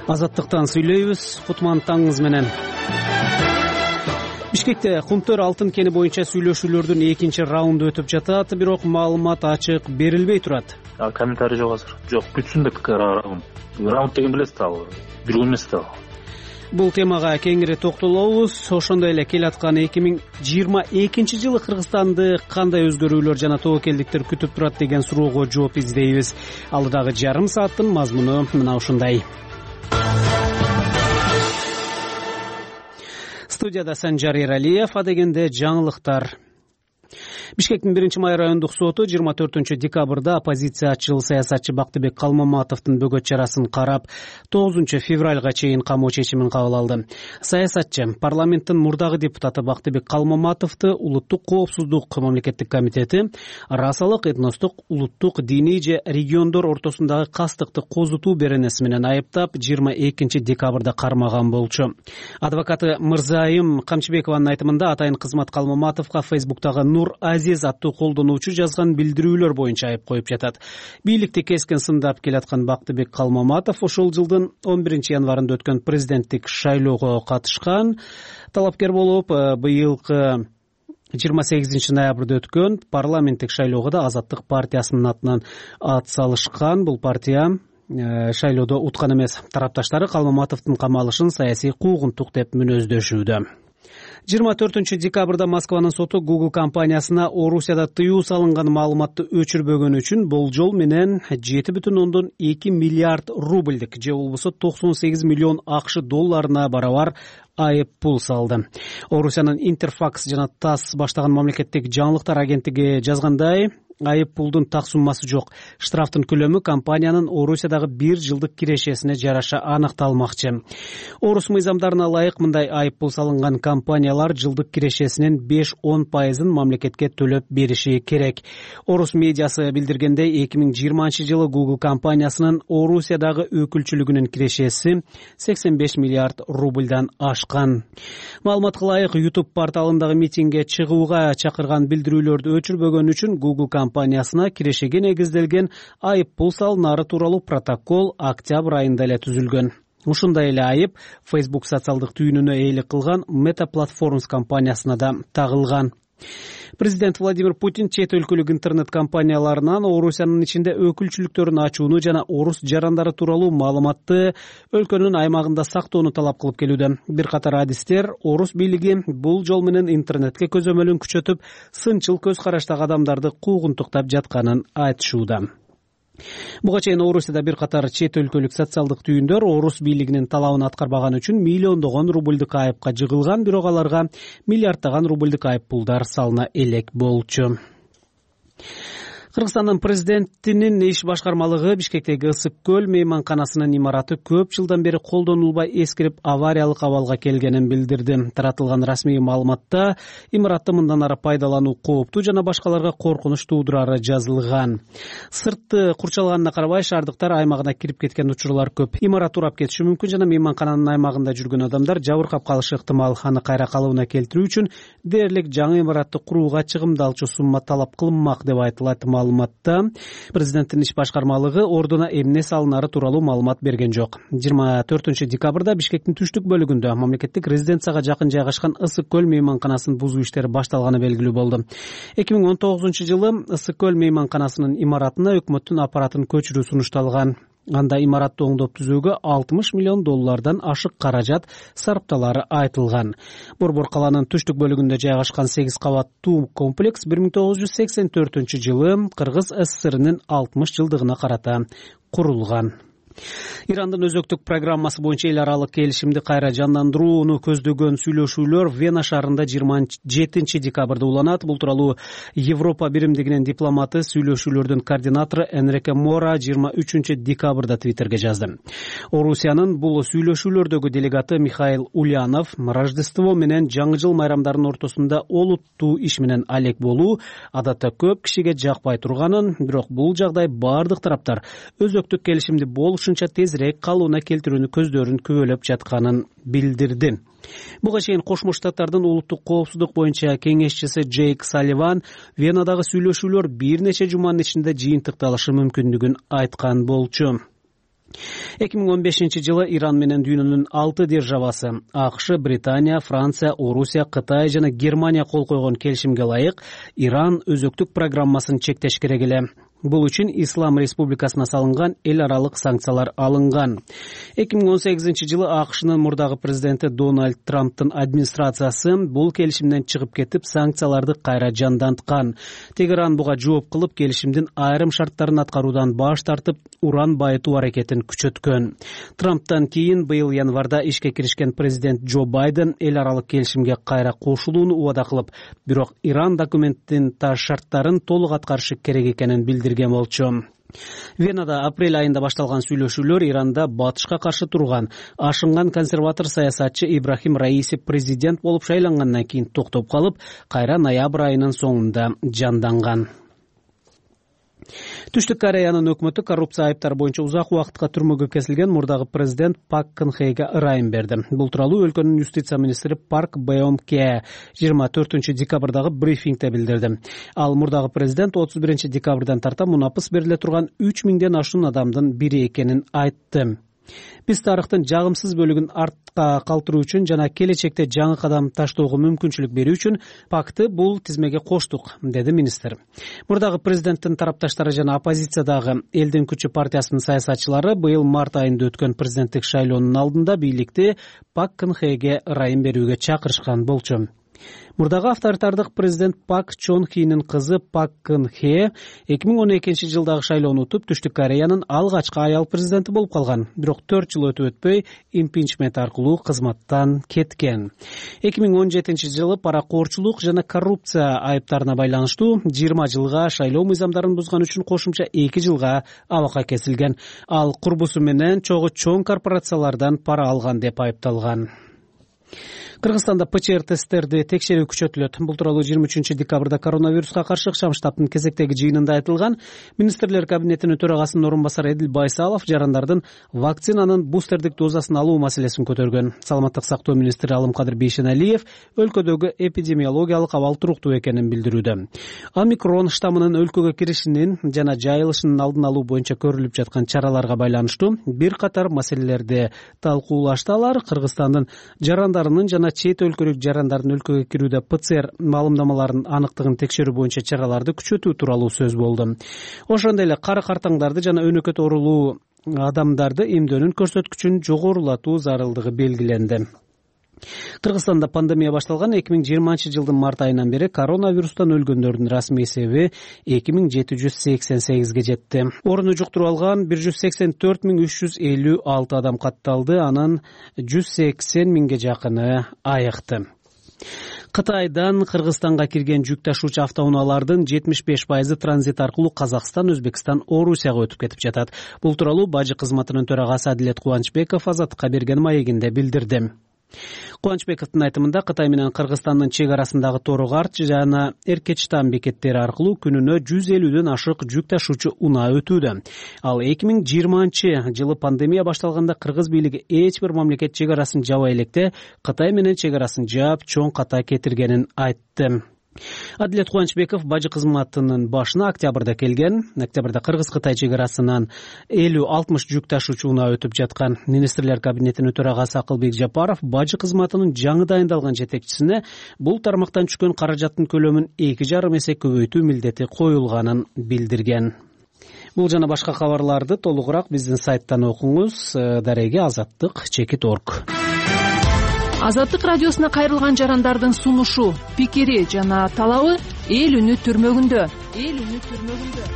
Азаттыктан сүйлөйбүз. Кутман таңыңыз менен. Бишкекте Кумтөр алтын кени боюнча сүйлөшүүлөрдүн экинчи раунду өтүп жатат, бирок маалымат ачык берилбей турат. Комментарий жок азыр. Жок, бүтсүн деп раунд деген билесиз да, жүргөн эмес да. Бул темага кеңири токтолобуз. Ошондой эле келаткан 2022 жылы Кыргызстанды кандай өзгөрүүлөр жана тобокелдиктер күтүп турат деген суроого жооп издейбиз. Алдыдагы жарым сааттын мазмуну мына ушундай. Студияда Санжар Эралиев, адегенде жаңылыктар. Бишкектин 1-май райондук соту 24 декабрда оппозициячыл саясатчы Бактыбек Калмаматовдун бөгөт чарасын карап, 9 февралга чейин камоо чечимин кабыл алды. Саясатчы парламенттин мурдагы депутаты Бактыбек Калмаматовду улуттук коопсуздук мамлекеттик комитети расалык, этностук, улуттук, диний же региондор ортосундагы кастыкты козутуу беренеси менен айыптап, 22 декабрда кармаган болчу. Адвокаты Мырзайым Камчыбекованын айтымында атайын кызмат Калмаматовго Фейсбуктагы Нур Азиз аттуу колдонуучу жазган билдирүүлөр боюнча айып коюп жатат. Бийликти кескен сындап келаткан Бактыбек Калмаматов ошол жылдын 11 январында өткөн президенттик шайлоого катышкан. Талапкер болуп, быйылкы 28 ноябрда өткөн парламенттик шайлоого да Азаттык партиясынын атынан ат салышкан. Бул партия шайлоодо уткан эмес. Тарапташтары Калмаматовдун камалышын саясий куугунтук деп мүнөздөшүүдө. 24 декабрда Москванын соту Google компаниясына Орусияда тыюу салынган маалыматты өчүрбөгөн үчүн болжол менен 7,2 миллиард рубльдик же болбосо 98 миллион АКШ долларына барабар айып пул салды. Орусиянын Интерфакс жана ТАСС баштаган мамлекеттик жаңылыктар агенттиги жазгандай, айып пулдун так суммасы жок. Штрафтын көлөмү компаниянын Орусиядагы 1 жылдык кирешесине жараша аныкталмакчы. Орус мыйзамдарына ылайык мындай айып пул салынган компаниялар жылдык кирешесинин 5-10% мамлекетке төлөп бериши керек. Орус медиасы билдиргендей, 2020 жылы Google компаниясынын Орусиядагы өкүлчүлүгүнүн кирешеси 85 миллиард рубльдан ашкан. Маалыматка ылайык, YouTube порталындагы митингге чыгууга чакырган билдирүүлөрдү өчүрбөгөн үчүн Google компаниясына кирешеге негизделген айып пул салынары тууралуу протокол октябрь айында эле түзүлгөн. Ушундай эле айып Facebook социалдык түйүнүнө ээлик кылган Meta Platforms компаниясына да тагылган. Президент Владимир Путин чет өлкөлүк интернет компанияларынан Орусиянын ичинде өкүлчүлүктөрүн ачууну жана орус жарандары тууралуу маалыматты өлкөнүн аймагында сактоону талап кылып келүүдө. Бир катар адистер орус бийлиги бул жол менен интернетке көзөмөлүн күчөтүп, сынчыл көз караштагы адамдарды куугунтуктап жатканын айтышууда. Буга чейин Орусияда бир катар чет өлкөлүк социалдык түйүндөр орус бийлигинин талабын аткарбаган үчүн миллиондогон рубльдик айыпка жыгылган, бирок аларга миллиарддаган рубльдик айып пулдар салына элек болчу. Кыргызстандын президентинин иш башкармалыгы Бишкектеги Ысык көл мейманканасынын имараты көп жылдан бери колдонулбай эскирип, авариялык абалга келгенин билдирди. Таратылган расмий маалыматта имаратты мындан ары пайдалануу кооптуу жана башкаларга коркунуч туудурары жазылган. Сыртты курчалганына карабай, шаардыктар аймагына кирип кеткен учурлар көп. Имарат урап кетиши мүмкүн жана мейманкананын аймагында жүргөн адамдар жабыркап калышы ыктымал. Аны кайра калыбына келтирүү үчүн дээрлик жаңы имаратты курууга чыгымдалчу сумма талап кылынмак деп айтылат. Маалыматта президенттин иш башкармалыгы ордуна эмне салынары тууралуу маалымат берген жок. 24 декабрда Бишкектин түштүк бөлүгүндө мамлекеттик резиденцияга жакын жайгашкан Ысык көл мейманканасынын бузуу иштери башталганы белгилүү болду. 2019 жылы Ысык көл мейманканасынын имаратына өкмөттүн аппаратын көчүрүү сунушталган. Анда имаратты оңдоп түзүүгө 60 миллион доллардан ашык каражат сарпталары айтылган. Борбор каланын түштүк бөлүгүндө жайгашкан 8 кабаттуу комплекс 1984 жылы Кыргыз СССРнин 60 жылдыгына карата курулган. Ирандын өзөктүк программасы боюнча эл аралык келишимди кайра жандандырууну көздөгөн сүйлөшүүлөр Вена шаарында 27 декабрда уланат. Бул тууралуу Европа биримдигинин дипломаты, сүйлөшүүлөрдүн координатору Энрике Мора 23 декабрда Твиттерге жазды. Орусиянын бул сүйлөшүүлөрдөгү делегаты Михаил Ульянов Рождество менен жаңы жыл майрамдарынын ортосунда олуттуу иш менен алек болуу адатта көп кишиге жакпай турганын, бирок бул жагдай бардык тараптар өзөктүк келишимди болушунча тезирээк калууна келтирүүнү көздөрүн күбөлөп жатканын билдирди. Буга чейин Кошмо Штаттардын улуттук коопсуздук боюнча кеңешчиси Джейк Салливан Венадагы сүйлөшүүлөр бир нече жуманын ичинде жыйынтыкталышы мүмкүндүгүн айткан болчу. 2015-жылы Иран менен дүйнөнүн 6 державасы АКШ, Британия, Франция, Орусия, Кытай жана Германия кол койгон келишимге ылайык Иран өзөктүк программасын чектеш керек эле. Бул үчүн Ислам Республикасына салынган эл аралык санкциялар алынган. 2018-жылы АКШнын мурдагы президенти Дональд Трамптын администрациясы бул келишимден чыгып кетип, санкцияларды кайра жанданткан. Тегеран буга жооп кылып, келишимдин айрым шарттарын аткаруудан баш тартып, уран байытуу аракетин күчөткөн. Трамптан кийин быйыл январда ишке киришкен президент Джо Байден эл аралык келишимге кайра кошулууну убада кылып, бирок Иран документтин шарттарын толук аткарышы керек экенин билдирген болчу. Венада апрель айында башталган сүйлөшүүлөр Иранда батышка каршы турган ашынган консерватор саясатчы Ибрахим Раиси президент болуп шайлангандан кийин токтоп калып, кайра ноябрь айынын соңунда жанданган. Түштүк Кореянын өкмөтү коррупция айыптары боюнча узак убакытка түрмөгө кесилген мурдагы президент Пак Кын Хеге ырайым берди. Бул тууралуу өлкөнүн юстиция министри Парк Беом Ке 24 декабрдагы брифингде билдирди. Ал мурдагы президент 31 декабрдан тарта мунапыс бериле турган 3000ден ашуун адамдын бири экенин айтты. Биз тарыхтын жагымсыз бөлүгүн артка калтыруу үчүн жана келечекте жаңы кадам таштоого мүмкүнчүлүк берүү үчүн Пакты бул тизмеге коштук, деди министр. Мурдагы президенттин тарапташтары жана оппозициядагы Элдин күчү партиясынын саясатчылары быйыл март айында өткөн президенттик шайлоонун алдында бийликти Пак Кын Хеге ырайым берүүгө чакырышкан болчу. Мурдагы авторитардык президент Пак Чон Хинин кызы Пак Кын Хе 2012 жылдагы шайлоону утуп, Түштүк Кореянын алгачкы аял президенти болуп калган. Бирок 4 жыл өтүп өтпөй импичмент аркылуу кызматтан кеткен. 2017 жылы паракоорчулук жана коррупция айыптарына байланыштуу 20 жылга, шайлоо мыйзамдарын бузган үчүн кошумча 2 жылга абакка кесилген. Ал курбусу менен чоң корпорациялардан пара алган деп айыпталган. Кыргызстанда ПЧР тесттерди текшерүү күчөтүлөт. Бул тууралуу 23 декабрда коронавируска каршы ыкчам штабтын кезектеги жыйынында айтылган. Министрлер кабинетинин төрагасынын орун басары Эдил Байсалов жарандардын вакцинанын бустердик дозасын алуу маселесин көтөргөн. Саламаттык сактоо министри Алымкадыр Бейшеналиев өлкөдөгү эпидемиологиялык абал туруктуу экенин билдирүүдө. Омикрон штаммынын өлкөгө киришинин жана жайылышынын алдын алуу боюнча көрүлүп жаткан чараларга байланыштуу бир катар маселелерди талкуулашты. Алар Кыргызстандын жарандарынын жана чет өлкөлүк жарандардын өлкөгө кирүүдө ПЦР маалымдамаларынын аныктыгын текшерүү боюнча чараларды күчөтүү тууралуу сөз болду. Ошондой эле кары картаңдарды жана өнөкөт оорулуу адамдарды эмдөөнүн көрсөткүчүн жогорулатуу зарылдыгы белгиленди. Кыргызстанда пандемия башталган 2020 жылдын март айынан бери коронавирустан өлгөндөрдүн расмий эсеби 2788-ге жетти. Орунду жуктуруп алган 184.356 адам катталды, анын 180.000ге жакыны айыкты. Кытайдан Кыргызстанга кирген жүк ташуучу автоунаалардын 75% транзит аркылуу Казакстан, Өзбекстан, Орусияга өтүп кетип жатат. Бул тууралуу бажы кызматынын төрагасы Адилет Кубанычбеков Азаттыкка берген маегинде билдирди. Кубанычбековдун айтымында Кытай менен Кыргызстандын чек арасындагы Торугарт жана Эркечтан бекеттери аркылуу күнүнө 150дөн ашык жүк ташуучу унаа өтүүдө. Ал 2020 жылы пандемия башталганда кыргыз бийлиги эч бир мамлекет чек арасын жабай электе Кытай менен чек арасын жаап, чоң ката кетиргенин айтты. Адилет Кубанычбеков бажы кызматынын башына октябрда келген. Октябрда Кыргыз-Кытай чек арасынан 50-60 жүк ташуучу унаа өтүп жаткан. Министрлер кабинетинин төрагасы Акылбек Жапаров бажы кызматынын жаңы дайындалган жетекчисине бул тармактан түшкөн каражаттын көлөмүн 2,5 эсе көбөйтүү милдети коюлганын билдирген. Бул жана башка кабарларды толугураак биздин сайттан окуңуз. Дареги Азаттык.org. Азаттык радиосуна кайрылган жарандардын сунушу, пикири жана талабы эл үнү түрмөгүндө.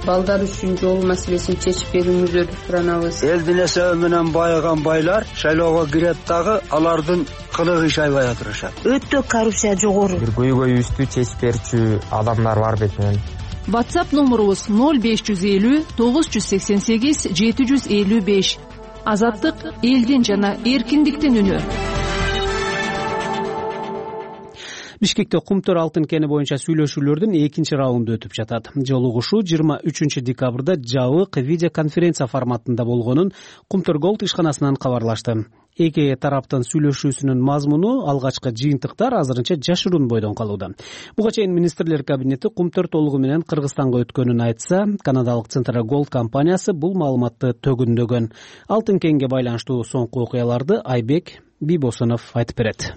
Балдар үчүн жол маселесин чечип берүүңүздөрдү суранабыз. Элдин эсеби менен байыган байлар шайлоого кирет дагы алардын кылыгы шайбай отурушат. Өтө коррупция жогору. Бир көйгөйүбүздү чечип берчү адамдар бар бетинен. WhatsApp номурубуз 0550 988 755. Азаттык элдин жана эркиндиктин үнү. Бишкекте Кумтөр алтын кени боюнча сүйлөшүүлөрдүн экинчи раунду өтүп жатат. Жолугушуу 23 декабрда жабык видеоконференция форматында болгонун Кумтөр Голд ишканасынан кабарлашты. Эки тараптын сүйлөшүүсүнүн мазмуну алгачкы жыйынтыктар азырынча жашыруун бойдон калууда. Буга чейин министрлер кабинети Кумтөр толугу менен Кыргызстанга өткөнүн айтса, канадалык Centera Gold компаниясы бул маалыматты төгүндөгөн. Алтын кенге байланыштуу соңку окуяларды Айбек Бибосунов айтып берет.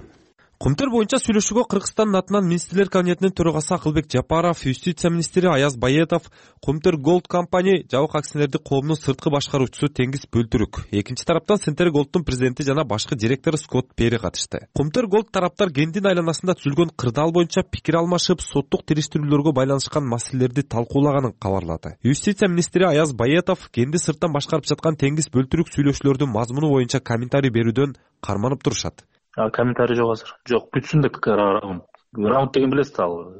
Кумтөр боюнча сүйлөшүүгө Кыргызстандын атынан министрлер кабинетинин төрагасы Акылбек Жапаров, юстиция министри Аяз Байетов, Кумтөр Gold компания жабык акционердик коомунун сырткы башкаруучусу Теңиз Бөлтүрүк, экинчи тараптан Centera Gold'дун президенти жана башкы директору Скотт Пери катышты. Кумтөр Gold тараптар кендин айланасында түзүлгөн кырдаал боюнча пикир алмашып, соттук териштирүүлөргө байланышкан маселелерди талкуулаганын кабарлады. Юстиция министри Аяз Байетов кенди сырттан башкарып жаткан Теңиз Бөлтүрүк сүйлөшүүлөрдүн мазмуну боюнча комментарий берүүдөн карманып турушат. Комментарий жок азыр. Жок, бүтүн да пикир раунд деген билесиз ал.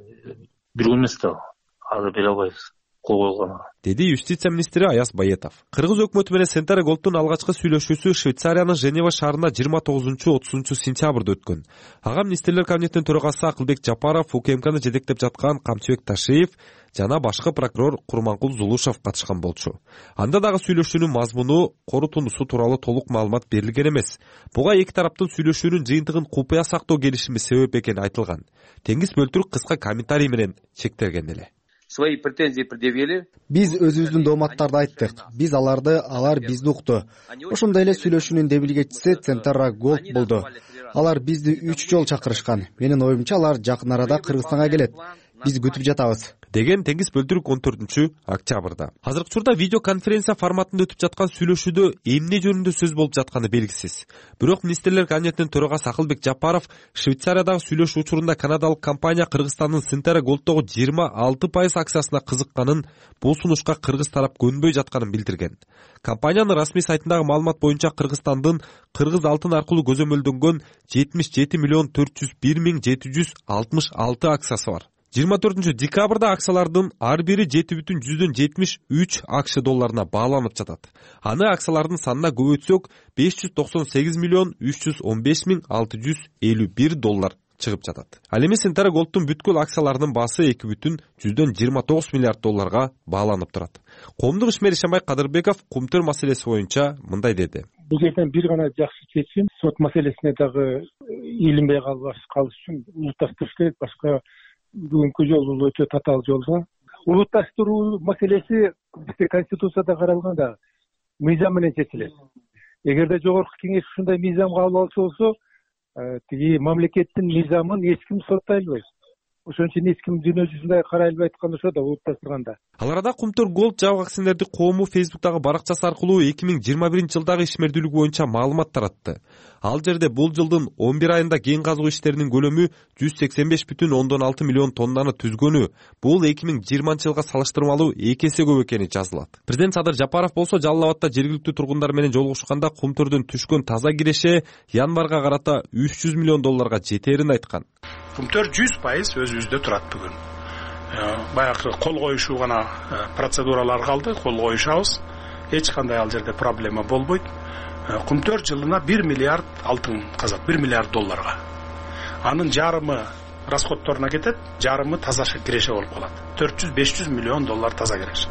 Бир күн эмес да. Азыр бере албайбыз. Кол койгон. Деди юстиция министри Аяз Байетов. Кыргыз өкмөтү менен Centera Gold'дун алгачкы сүйлөшүүсү Швейцариянын Женева шаарында 29-30 сентябрда өткөн. Ага министрлер кабинетинин төрагасы Акылбек Жапаров, УКМКны жетектеп жаткан Камчыбек Ташиев жана башкы прокурор Курманкул Зулушев катышкан болчу. Анда дагы сүйлөшүүнүн мазмуну, корутундусу тууралуу толук маалымат берилген эмес. Буга эки тараптын сүйлөшүүнүн жыйынтыгын купуя сактоо келишими себеп экени айтылган. Теңиз Бөлтүрүк кыска комментарий менен чектелген эле. Свои претензии предъявили. Биз өзүбүздүн дооматтарды айттык. Биз алар бизди укту. Ошондой эле сүйлөшүүнүн демилгечиси Centera Gold болду. Алар бизди 3 жолу чакырышкан. Менин оюмча алар жакын арада Кыргызстанга келет. Биз күтүп жатабыз, деген Теңиз Бөлтүрүк 14-октябрда. Азыркы учурда видеоконференция форматында өтүп жаткан сүйлөшүүдө эмне жөнүндө сөз болуп жатканы белгисиз. Бирок министрлер кабинетинин төрагасы Акылбек Жапаров Швейцариядагы сүйлөшүү учурунда канадалык компания Кыргызстандын Centera Gold'догу 26% акциясына кызыкканын, бул сунушка кыргыз тарап көнбөй жатканын билдирген. Компаниянын расмий сайтындагы маалымат боюнча Кыргызстандын кыргыз алтын аркылуу көзөмөлдөнгөн 77,401,766 акциясы бар. 24 декабрда акциялардын ар бири 7,73 АКШ долларына бааланып жатат. Аны акциялардын санына көбөйтсөк 598,315,651 доллар чыгып жатат. Ал эми Centera Gold'дун бүткүл акцияларынын баасы 2,29 миллиард долларга бааланып турат. Коомдук ишмер Ишембай Кадырбеков Кумтөр маселеси боюнча мындай деди. Бул жерден бир гана жакшы чечим, сот маселесине дагы илинбей калыш үчүн улутташтырыш керек, башка бүгүнкү жолу өтө татаал жолдо. Улутташтыруу маселеси бизде Конституцияда каралган да мыйзам менен чечилет. Эгерде жогорку кеңеш ушундай мыйзамга кабыл алчу болсо, тиги мамлекеттин мыйзамын эч ким соттой албайт. Ошон үчүн эч ким дүйнө жүзүндө карай албайт аткан ошо да улутташтырганда. Ал арада Кумтөр Gold жабык акционердик коому Facebook'тагы баракчасы аркылуу 2021-жылдагы ишмердүүлүк боюнча маалымат таратты. Ал жерде бул жылдын 11 айында кен казуу иштеринин көлөмү 185,6 миллион тоннаны түзгөнү, бул 2020-жылга салыштырмалуу 2 эсе көп экени жазылат. Президент Садыр Жапаров болсо Жалал Абадта жергиликтүү тургундар менен жолугушканда Кумтөрдөн түшкөн таза киреше январга карата 300 миллион долларга жетерин айткан. Кумтөр 100% өзүбүздө турат бүгүн. Баягы кол коюшуу гана процедуралар калды, кол коюшабыз. Эч кандай ал жерде проблема болбойт. Кумтөр жылына 1 миллиард алтын казат, 1 миллиард долларга. Анын жарымы расходторуна кетет, жарымы таза киреше болуп калат. 400-500 миллион доллар таза киреше.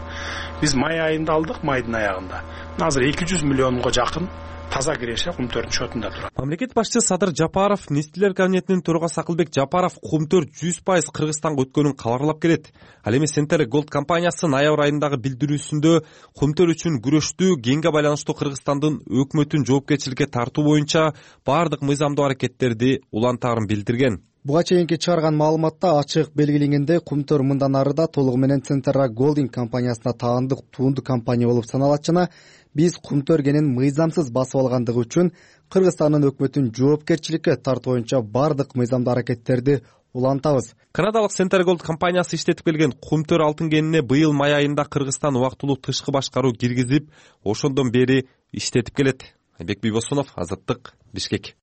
Биз май айында алдык, майдын аягында. Азыр 200 миллионго жакын таза киреше Кумтөрдүн шотунда турат. Мамлекет башчысы Садыр Жапаров, министрлер кабинетинин төрагасы Акылбек Жапаров Кумтөр 100% Кыргызстанга өткөнүн кабарлап келет. Ал эми Centera Gold компаниясы ноябрь айындагы билдирүүсүндө Кумтөр үчүн күрөштүү кенге байланыштуу Кыргызстандын өкмөтүн жоопкерчиликке тартуу боюнча бардык мыйзамдуу аракеттерди улантаарын билдирген. Буга чейинки чыгарган маалыматта ачык белгиленгендей, Кумтөр мындан ары да толугу менен Centera Gold компаниясына таандык туунду компания болуп саналат жана биз Кумтөр кенин мыйзамсыз басып алгандыгы үчүн Кыргызстандын өкмөтүн жоопкерчиликке тартуу боюнча бардык мыйзамдуу аракеттерди улантабыз. Канадалык Centera Gold компаниясы иштетип келген Кумтөр алтын кенине быйыл май айында Кыргызстан убактылуу тышкы башкаруу киргизип, ошондон бери иштетип келет. Айбек Бибосунов, Азаттык, Бишкек.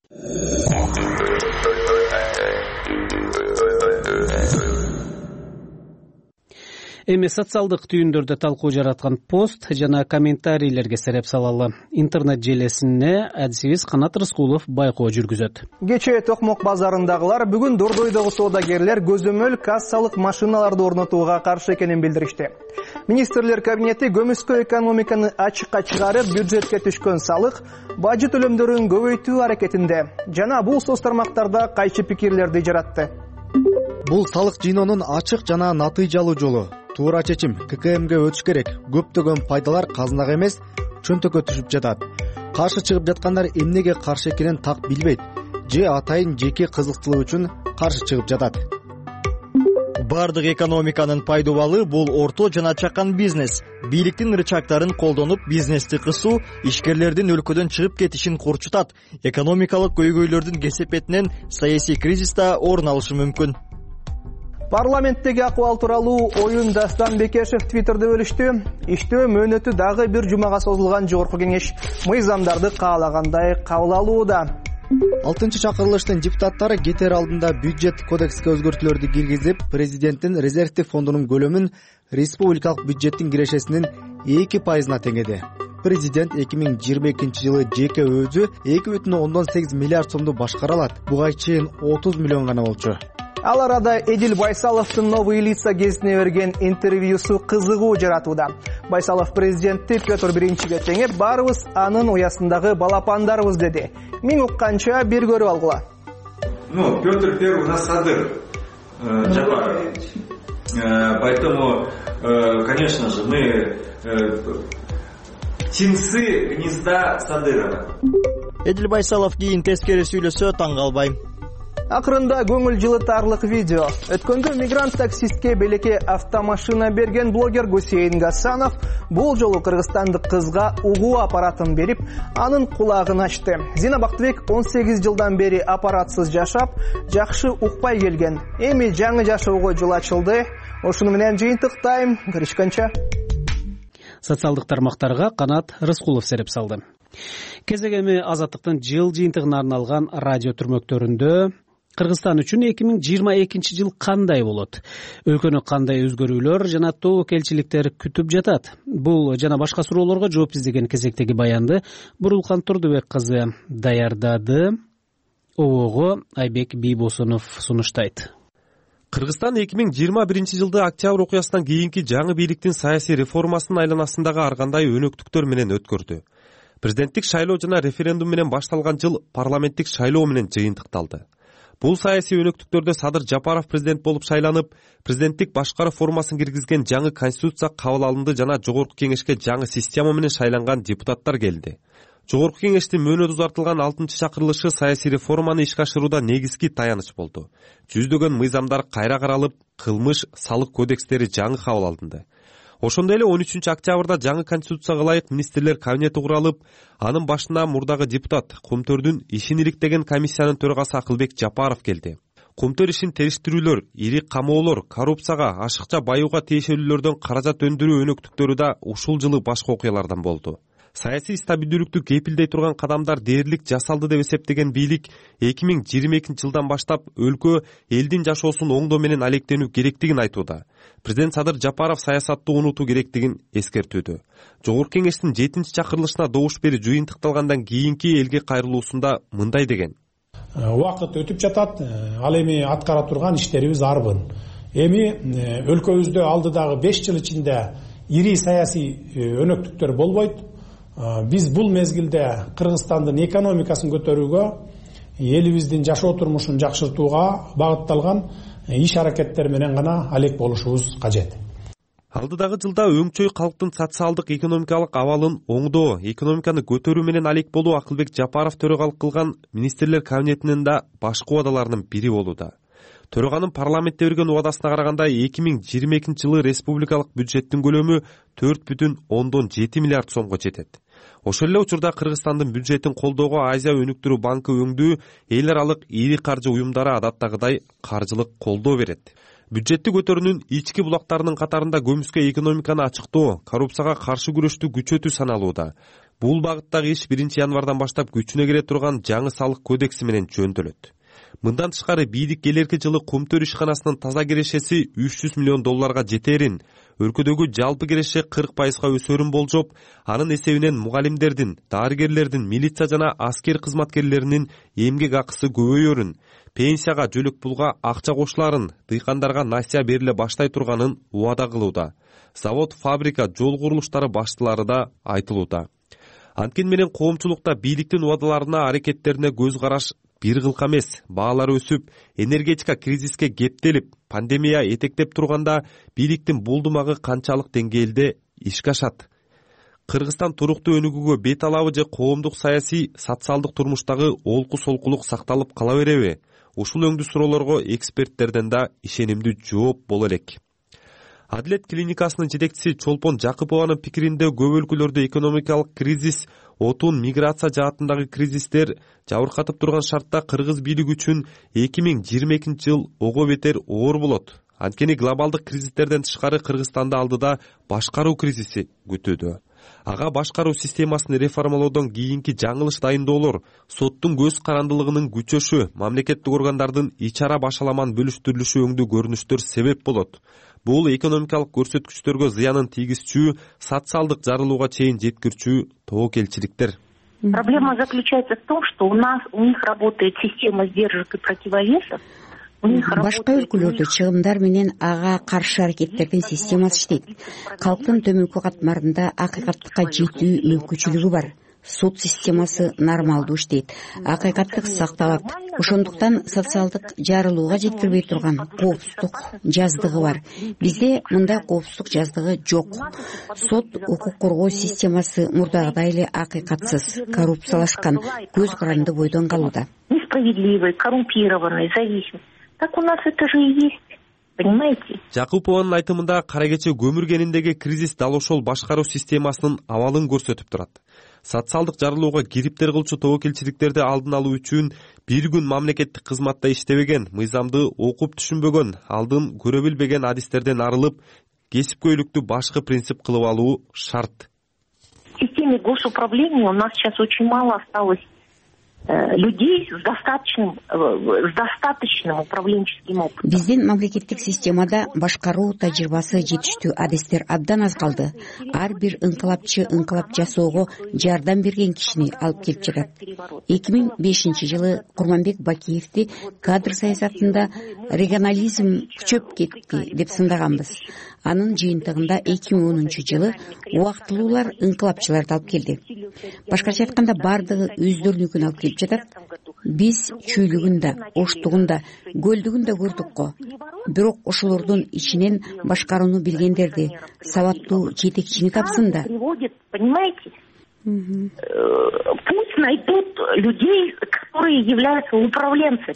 Эми социалдык түйүндөрдө талкуу жараткан пост жана комментарийлерге сереп салалы. Интернет желесине адисибиз Канат Рыскулов байкоо жүргүзөт. Кечээ Токмок базарындагылар бүгүн Дордойдогу соодагерлер көзөмөл кассалык машиналарды орнотууга каршы экенин билдиришти. Министрлер кабинети көмүскө экономиканы ачыкка чыгарып, бюджетке түшкөн салык, бажы төлөмдөрүн көбөйтүү аракетинде жана бул соц тармактарда кайчы пикирлерди жаратты. Бул салык жыйноонун ачык жана натыйжалуу жолу. Туура чечим ККМге өтүш керек. Көптөгөн пайдалар казынага эмес, чөнтөккө түшүп жатат. Каршы чыгып жаткандар эмнеге каршы экенин так билбейт же атайын жеке кызыкчылык үчүн каршы чыгып жатат. Бардык экономиканын пайдубалы бул орто жана чакан бизнес. Бийликтин рычагдарын колдонуп, бизнести кысуу ишкерлердин өлкөдөн чыгып кетишин корчутат. Экономикалык көйгөйлөрдүн кесепетинен саясий кризис да орун алышы мүмкүн. Парламенттеги акыбал тууралуу оюн Дастан Бекешев Твиттерде бөлүштү. Иштөө мөөнөтү дагы бир жумага созулган жогорку кеңеш мыйзамдарды каалагандай кабыл алууда. 6-чакырылыштын депутаттары кетер алдында бюджет кодекске өзгөртүүлөрдү киргизип, президенттин резервдик фондунун көлөмүн республикалык бюджеттин кирешесинин 2%-на теңеди. Президент 2022-жылы жеке өзү 2,8 миллиард сомду башкара алат. Буга чейин 30 миллион гана болчу. Ал арада Эдил Байсаловдун Новый лица гезитине берген интервьюсу кызыгуу жаратууда. Байсалов президентти Петр Биринчиге теңеп, баарыбыз анын уясындагы балапандарыбыз деди. Мен укканча бир көрүп алгыла. Петр Первый у нас садыр. Поэтому, конечно же, мы птенцы гнезда Садырова. Эдил Байсалов кийин тескери сүйлөсө таң калбайм. Акырында көңүл жылытарлык видео. Өткөндө мигрант таксистке белекке автомашина берген блогер Гусейн Гасанов бул жолу кыргызстандык кызга угуу аппаратын берип, анын кулагын ачты. Зина Бактыбек 18 жылдан бери аппаратсыз жашап, жакшы укпай келген. Эми жаңы жашоого жол ачылды. Ошону менен жыйынтыктайм. Көрүшкөнчө. Социалдык тармактарга Канат Рыскулов сереп салды. Кезегеми Азаттыктын жыл жыйынтыгына арналган радио түрмөктөрүндө Кыргызстан үчүн 2022 жыл кандай болот? Өлкөнү кандай өзгөрүүлөр жана тобокелчиликтер күтүп жатат? Бул жана башка суроолорго жооп издеген кезектеги баянды Бурулкан Турдубек кызы даярдады. Обого Айбек Бийбосунов сунуштайт. Кыргызстан 2021-жылды октябрь окуясынан кийинки жаңы бийликтин саясий реформасынын айланасындагы ар кандай өнөктүктөр менен өткөрдү. Президенттик шайлоо жана референдум менен башталган жыл парламенттик шайлоо менен жыйынтыкталды. Бул саясий өнөктүктөрдө Садыр Жапаров президент болуп шайланып, президенттик башкаруу формасын киргизген жаңы конституция кабыл алынды жана жогорку кеңешке жаңы система менен шайланган депутаттар келди. Жогорку кеңештин мөөнөтү узартылган 6-чакырылышы саясий реформаны ишке ашырууда негизги таяныч болду. Жүздөгөн мыйзамдар кайра каралып, кылмыш, салык кодекстери жаңы кабыл алынды. Ошондой эле 13 октябрда жаңы конституцияга ылайык министрлер кабинети куралып, анын башына мурдагы депутат Кумтөрдүн ишин иликтеген комиссиянын төрагасы Акылбек Жапаров келди. Кумтөр ишин териштирүүлөр, ири камоолор, коррупцияга, ашыкча баюуга тиешелүүлөрдөн каражат өндүрүү өнөктүктөрү да ушул жылы башка окуялардан болду. Саясий стабилдүүлүктү кепилдей турган кадамдар дээрлик жасалды деп эсептеген бийлик 2022 жылдан баштап өлкө элдин жашоосун оңдоо менен алектенүү керектигин айтууда. Президент Садыр Жапаров саясатты унутуу керектигин эскертүүдө. Жогорку кеңештин 7-чакырылышына добуш берип жыйынтыкталгандан кийинки элге кайрылуусунда мындай деген. Убакыт өтүп жатат, ал эми аткара турган иштерибиз арбын. Эми өлкөбүздө алдыдагы 5 жыл ичинде ири саясий өнөктүктөр болбойт. Биз бул мезгилде Кыргызстандын экономикасын көтөрүүгө, элибиздин жашоо турмушун жакшыртууга багытталган иш аракеттер менен гана алек болушубуз кажет. Алдыдагы жылда өңчөй калктын социалдык экономикалык абалын оңдоо, экономиканы көтөрүү менен алек болуу Акылбек Жапаров төрагалык кылган министрлер кабинетинин да башкы убадаларынын бири болууда. Төраганын парламентте берген убадасына караганда 2022 жылы республикалык бюджеттин көлөмү 4,7 миллиард сомго жетет. Ошол эле учурда Кыргызстандын бюджетин колдоого Азия өнүктүрүү банкы өңдүү эл аралык ири каржы уюмдары адаттагыдай каржылык колдоо берет. Бюджетти көтөрүүнүн ички булактарынын катарында көмүскө экономиканы ачыктоо, коррупцияга каршы күрөштү күчөтүү саналууда. Бул багыттагы иш 1 январдан баштап күчүнө кире турган жаңы салык кодекси менен жөндөлөт. Мындан тышкары бийлик келерки жылы Кумтөр ишканасынын таза кирешеси $300 миллион жетерин, өлкөдөгү жалпы киреше 40% өсөрүн болжоп, анын эсебинен мугалимдердин, дарыгерлердин, милиция жана аскер кызматкерлеринин эмгек акысы көбөйөрүн, пенсияга, жөлөк пулга акча кошуларын, дыйкандарга насыя бериле баштай турганын убада кылууда. Завод, фабрика, жол курулуштары баштылары да айтылууда. Анткени менен коомчулукта бийликтин убадаларына, аракеттерине көз караш бир кылка эмес. Баалар өсүп, энергетика кризиске кептелип, пандемия этектеп турганда бийликтин булдумагы канчалык деңгээлде ишке ашат? Кыргызстан туруктуу өнүгүүгө бет алабы же коомдук саясий, социалдык турмуштагы олку солкулук сакталып кала береби? Ушул өңдүү суроолорго эксперттерден да ишенимдүү жооп боло элек. Адилет клиникасынын жетекчиси Чолпон Жакыпованын пикиринде көп өлкөлөрдө экономикалык кризис, отун, миграция жаатындагы кризистер жабыркатып турган шартта кыргыз бийлиги үчүн 2022 жыл ого бетер оор болот. Анткени глобалдык кризистерден тышкары Кыргызстанды алдыда башкаруу кризиси күтүүдө. Ага башкаруу системасын реформалоодон кийинки жаңылыш дайындоолор, соттун көз карандылыгынын күчөшү, мамлекеттик органдардын ичара башаламан бөлүштүрүлүшү өңдүү көрүнүштөр себеп болот. Бул экономикалык көрсөткүчтөргө зыянын тийгизчү, социалдык жарылууга чейин жеткирчү тобокелчиликтер. Проблема заключается в том, что у них работает система сдержек и противовесов. Башка өлкөлөрдө чыгымдар менен ага каршы аракеттердин системасы иштейт. Калктын төмөнкү катмарында акыйкаттыкка жетүү мүмкүнчүлүгү бар. Суд системасы нормалдуу иштейт, акыйкаттык сакталат. Ошондуктан социалдык жарылууга жеткирбей турган коопсуздук жаздыгы бар. Бизде мындай коопсуздук жаздыгы жок. Сот, укук коргоо системасы мурдагыдай эле акыйкатсыз, коррупциялашкан, көз каранды бойдон калууда. Несправедливый, коррумпированный, зависимый. Так у нас это же и есть. Понимаете? Жакупованын айтымында кара кече көмүр кениндеги кризис дал ошол башкаруу системасынын абалын көрсөтүп турат. Социалдык жарылууга кириптер кылчу тобокелчиликтерди алдын алуу үчүн бир күн мамлекеттик кызматта иштебеген, мыйзамды окуп түшүнбөгөн, алдын көрө билбеген адистерден арылып, кесипкөйлүктү башкы принцип кылып алуу шарт. В системе госуправления у нас сейчас очень мало осталось людей с достаточным управленческим опытом. Биздин мамлекеттик системада башкаруу тажрыйбасы жетиштүү адистер абдан аз калды. Ар бир ыңкылапчы ыңкылап жасоого жардам берген кишини алып келип жатат. 2005 жылы Курманбек Бакиевди кадр саясатында регионализм күчөп кетти деп сындаганбыз. Анын жыйынтыгында 2010 жылы убактылуулар ыңкылапчыларды алып келди. Башкача айтканда бардыгы өздөрүнүкүн алып келип жатат. Биз чүйлүгүн да, оштугун да, көлдүгүн да көрдүк го. Бирок ошолордун ичинен башкарууну билгендерди, сабаттуу жетекчини тапсын да. Понимаете? Пусть найдут людей, которые являются управленцами.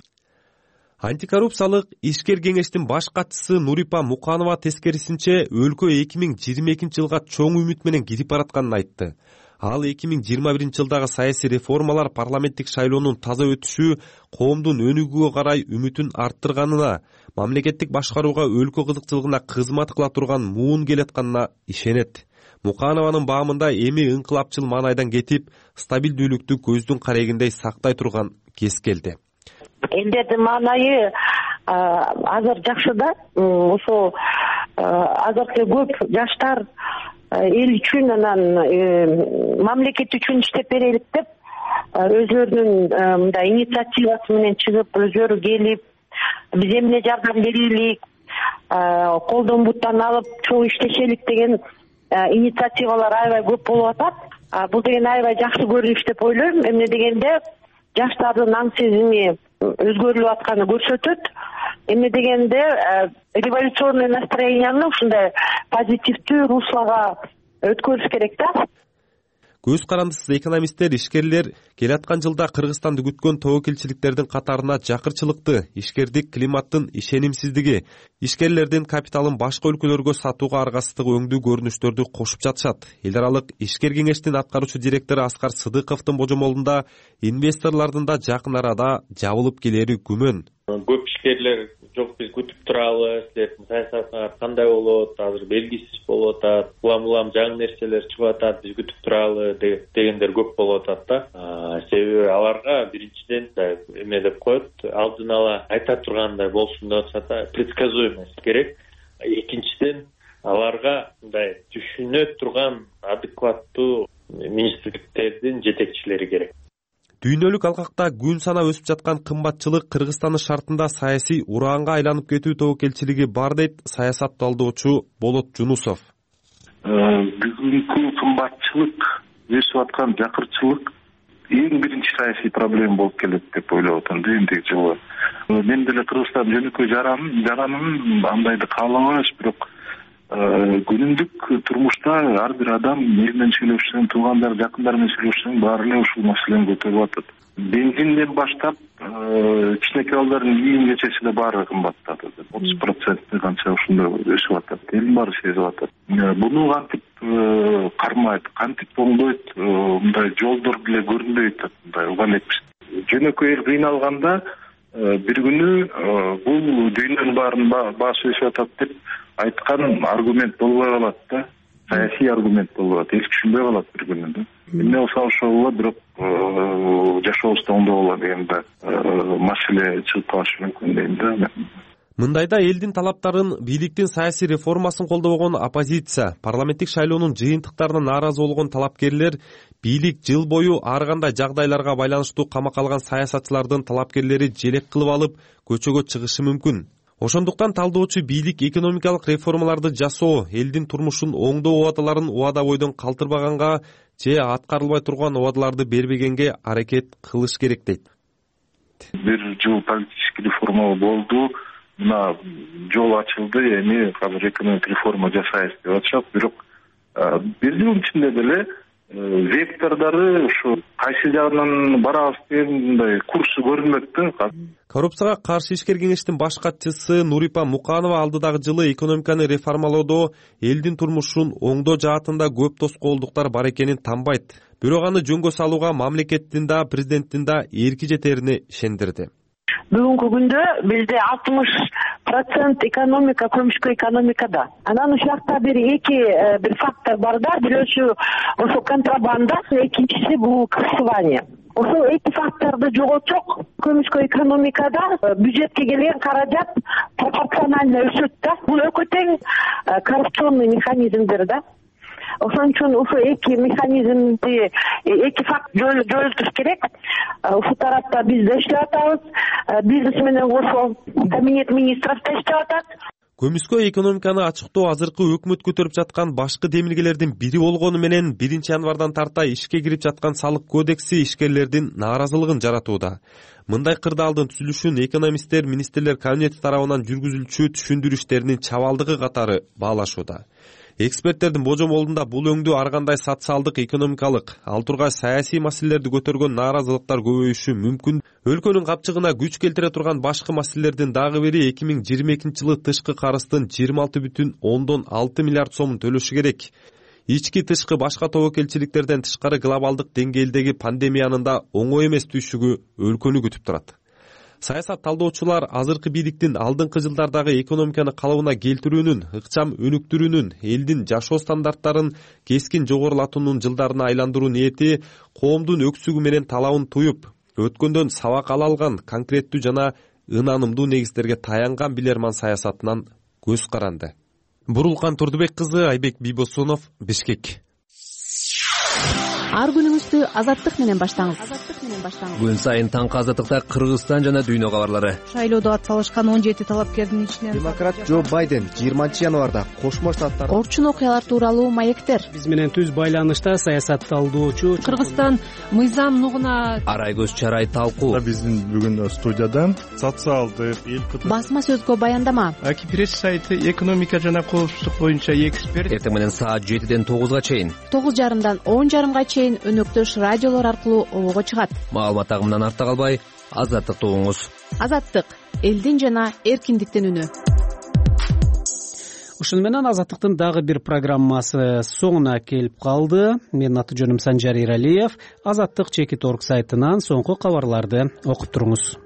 Антикоррупциялык ишкер кеңештин баш катчысы Нурипа Муканова тескерисинче өлкө 2022 жылга чоң үмүт менен кирип баратканын айтты. Ал 2021 жылдагы саясий реформалар, парламенттик шайлоонун таза өтүшү коомдун өнүгүүгө карай үмүтүн арттырганына, мамлекеттик башкарууга өлкө кызыкчылыгына кызмат кыла турган муун келатканына ишенет. Муканованын баамында эми ыңкылапчыл маанайдан кетип, стабилдүүлүктү көздүн карегиндей сактай турган кез келди. Элдердин маанайы азыр жакшы да. Ошо азыркы көп жаштар эл үчүн анан мамлекет үчүн иштеп берелик деп өзлөрүнүн мындай инициативасы менен чыгып, өзлөрү келип, биз эмне жардам берелик, колдон буттан алып чоң иштешелик деген инициативалар аябай көп болуп атат. Бул деген аябай жакшы көрүнүш деп ойлойм. Эмне дегенде жаштардын аң сезими өзгөрүлүп атканы көрсөтөт. Эмне дегенде революционный настроенияны ушундай позитивдүү руслага өткөрүш керек да. Көз карандысыз экономисттер, ишкерлер келаткан жылда Кыргызстанды күткөн тобокелчиликтердин катарына жакырчылыкты, ишкердик климаттын ишенимсиздиги, ишкерлердин капиталын башка өлкөлөргө сатууга аргасыздыгы өңдүү көрүнүштөрдү кошуп жатышат. Эл аралык ишкер кеңештин аткаруучу директору Аскар Сыдыковдун божомолунда инвесторлордун да жакын арада жабылып келери күмөн. Көп ишкерлер жок биз күтүп туралы, силердин саясатыңар кандай болот, азыр белгисиз болуп атат, улам жаңы нерселер чыгып атат, биз күтүп туралы дегендер көп болуп атат да. Себеби аларга биринчиден эме деп коет, алдын ала айта тургандай болсун деп атышат, предсказуемость керек. Экинчиден аларга мындай түшүнө турган адекваттуу министрликтердин жетекчилери керек. Дүйнөлүк алкакта күн сана өсүп жаткан кымбатчылык Кыргызстандын шартында саясий ураанга айланып кетүү тобокелчилиги бар дейт саясат талдоочу Болот Жунусов. Бүгүнкү кымбатчылык, өсүп аткан жакырчылык эң биринчи саясий проблема болуп келет деп ойлоп атам эмдиги жылы. Мен деле Кыргызстан жөнөкөй жаранын андайды каалабайбыз, бирок күнүмдүк турмушта ар бир адам эл менен сүйлөшсөң, туугандар, жакындар менен сүйлөшсөң, баары эле ушул маселени көтөрүп атат. Бензинден баштап кичинекей балдардын кийим-кечеси эле баары кымбаттады. 30% канча ушундай өсүп атат. Элдин баары сезип атат. Буну кантип кармайт, кантип оңдойт, мындай жолдор деле көрүнбөйт, мындай уга элекпиз. Жөнөкөй эл кыйналганда бир күнү бул дүйнөнүн баарынын баасы өсүп атат деп айткан аргумент болбой калат да, саясий аргумент болбой калат, эл түшүнбөй калат бир күнү да. Эмне болсо ошол бирок жашообузда оңдоо болот деген да маселе чыгып калышы мүмкүн дейм да. Мындайда элдин талаптарын, бийликтин саясий реформасын колдобогон оппозиция, парламенттик шайлоонун жыйынтыктарына нааразы болгон талапкерлер, бийлик жыл бою ар кандай жагдайларга байланыштуу камакка алган саясатчылардын талапкерлери желек кылып алып көчөгө чыгышы мүмкүн. Ошондуктан талдоочу бийлик экономикалык реформаларды жасоо, элдин турмушун оңдоо убадаларын убада бойдон калтырбаганга же аткарылбай турган убадаларды бербегенге аракет кылыш керек дейт. Бир жыл политический реформа болду, мына жол ачылды, эми азыр экономик реформа жасайбыз деп атышат, бирок бир жылдын ичинде деле вектордору ушу кайсы жагынан барабыз дегендей курсу көрүнбөйт да. Коррупцияга каршы ишкер кеңештин баш катчысы Нурипа Муканова алдыдагы жылы экономиканы реформалоодо элдин турмушун оңдоо жаатында көп тоскоолдуктар бар экенин танбайт. Бирок аны жөнгө салууга мамлекеттин да, президенттин да эрки жетерине ишендирди. Бүгүнкү күндө бизде 60% экономика көмүшкө экономикада. Анан ушул жакта бир фактор бар да, бирөөсү ошо контрабанда, экинчиси бул крышевание. Ошол эки факторду жоготсок, көмүшкө экономикада бюджетке келген каражат пропорционально өсөт да. Бул өкө тең коррупционный механизмдер да. Ошон үчүн ошо эки механизмди, эки факт жоюлуш керек. Ушул тарапта биз да иштеп атабыз, бизнес менен кошо кабинет министров да иштеп атат. Көмүскө экономиканы ачыктоо азыркы өкмөт көтөрүп жаткан башкы демилгелердин бири болгону менен 1-январдан тарта ишке кирип жаткан салык кодекси ишкерлердин нааразылыгын жаратууда. Мындай кырдаалдын түзүлүшүн экономисттер, министрлер кабинети тарабынан жүргүзүлчү түшүндүрүү иштеринин чабалдыгы катары баалашууда. Эксперттердин божомолунда бул өңдүү ар кандай социалдык, экономикалык, ал тургай саясий маселелерди көтөргөн нааразылыктар көбөйүшү мүмкүн. Өлкөнүн капчыгына күч келтире турган башкы маселелердин дагы бири 2022-жылы тышкы карыздын 26,6 миллиард сомун төлөшү керек. Ички тышкы башка тобокелчиликтерден тышкары глобалдык деңгээлдеги пандемиянын да оңой эмес түйшүгү өлкөнү күтүп турат. Саясат талдоочулар азыркы бийликтин алдыңкы жылдардагы экономиканы калыбына келтирүүнүн, ыкчам өнүктүрүүнүн, элдин жашоо стандарттарын кескин жогорулатуунун жылдарына айландыруу ниети коомдун өксүгү менен талабын туюп, өткөндөн сабак ала алган конкреттүү жана ынанымдуу негиздерге таянган билерман саясатынан көз каранды. Бурулкан Турдубек кызы, Айбек Бийбосунов, Бишкек. Ар күнүңүздү азаттык менен баштаңыз. Күн сайын таңкы азаттыкта Кыргызстан жана дүйнө кабарлары. Шайлоодо ат салышкан 17 талапкердин ичинен демократ Джо Байден 20-январда Кошмо Штаттар орчун окуялар тууралуу маектер. Биз менен түз байланышта саясат талдоочу Кыргызстан мыйзам нугуна Арайгөз Чарай талкуу. Биздин бүгүн студияда социалдык, эл басма сөзгө баяндама. Пресс сайты экономика жана коопсуздук боюнча эксперт. Эртең менен саат 7-ден 9-га чейин, 9:30-дан 10:30-га чейин өнөктөш радиолор аркылуу обого чыгат. Маалымат агымынан артта калбай, азаттыкты угуңуз. Азаттык — элдин жана эркиндиктин үнү. Ушуну менен азаттыктын дагы бир программасы соңуна келип калды. Менин аты жөнүм Санжар Иралиев. Азаттык Чекит.org сайтынан соңку кабарларды окуп туруңуз.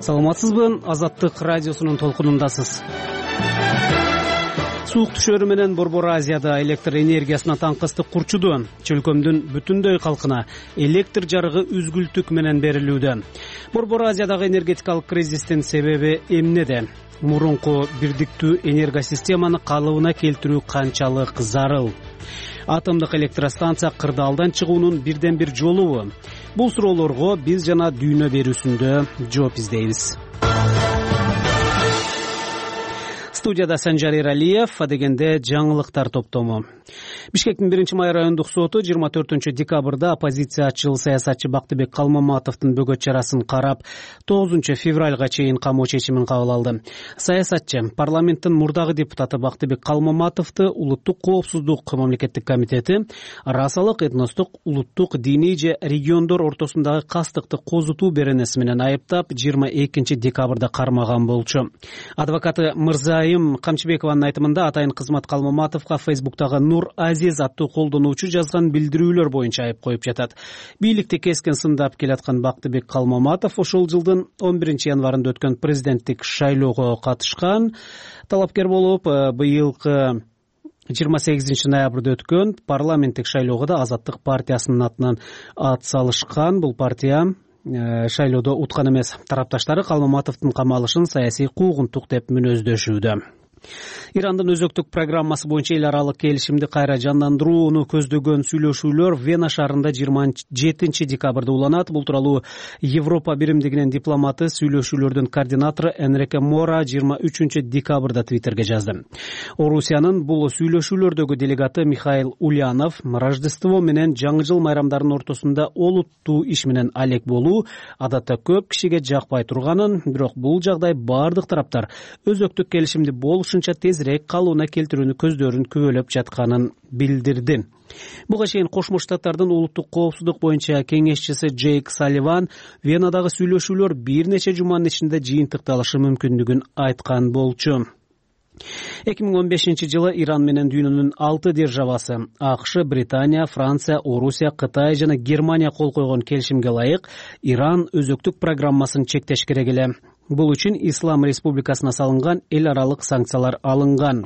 Саламатсызбы? Азаттык радиосунун толкунундасыз. Суук түшөрү менен Борбор Азияда электр энергиясына таңкыстык курчуду. Чөлкөмдүн бүтүндөй калкына электр жарыгы үзгүлтүк менен берилүүдө. Борбор Азиядагы энергетикалык кризистин себеби эмнеде? Мурунку бирдиктүү энергосистеманы калыбына келтирүү канчалык зарыл? Атомдук электростанция кырдаалдан чыгуунун бирден бир жолубу? Бул суроолорго биз жана дүйнө берүүсүндө жооп издейбиз. Студияда Санжар Эралиев, адегенде жаңылыктар топтому. Бишкектин 1-май райондук соту 24-декабрда оппозициячыл саясатчы Бактыбек Калмаматовдун бөгөт чарасын карап, 9-февралга чейин камоо чечимин кабыл алды. Саясатчы парламенттин мурдагы депутаты Бактыбек Калмаматовду Улуттук коопсуздук мамлекеттик комитети расалык, этностук, улуттук, диний же региондор ортосундагы кастыкты козутуу беренеси менен айыптап, 22-декабрда кармаган болчу. Адвокаты Мырзайым Камчыбекованын айтымында атайын кызмат Калмаматовго Фейсбуктагы Нур Азиз аттуу колдонуучу жазган билдирүүлөр боюнча айып коюп жатат. Бийликти кескен сындап келаткан Бактыбек Калмаматов ошол жылдын 11-январында өткөн президенттик шайлоого катышкан. Талапкер болуп, быйылкы 28-ноябрда өткөн парламенттик шайлоого да Азаттык партиясынын атынан ат салышкан. Бул партия шайлоодо уткан эмес. Тарапташтары Калмаматовдун камалышын саясий куугунтук деп мүнөздөшүүдө. Ирандын өзөктүк программасы боюнча эл аралык келишимди кайра жандандырууну көздөгөн сүйлөшүүлөр Вена шаарында 27-декабрда уланат. Бул тууралуу Европа биримдигинин дипломаты, сүйлөшүүлөрдүн координатору Энрике Мора 23-декабрда Твиттерге жазды. Орусиянын бул сүйлөшүүлөрдөгү делегаты Михаил Ульянов Рождество менен жаңы жыл майрамдарынын ортосунда олуттуу иш менен алек болуу адатта көп кишиге жакпай турганын, бирок бул жагдай бардык тараптар өзөктүк келишимди болушунча тезирээк калыбына келтирүүнү көздөрүн күбөлөп жатканын билдирди. Буга чейин Кошмо Штаттардын улуттук коопсуздук боюнча кеңешчиси Джейк Салливан Венадагы сүйлөшүүлөр бир нече жуманын ичинде жыйынтыкталышы мүмкүндүгүн айткан болчу. 2015-жылы Иран менен дүйнөнүн 6 державасы АКШ, Британия, Франция, Орусия, Кытай жана Германия кол койгон келишимге ылайык Иран өзөктүк программасын чектеш керек эле. Бул үчүн Ислам Республикасына салынган эл аралык санкциялар алынган.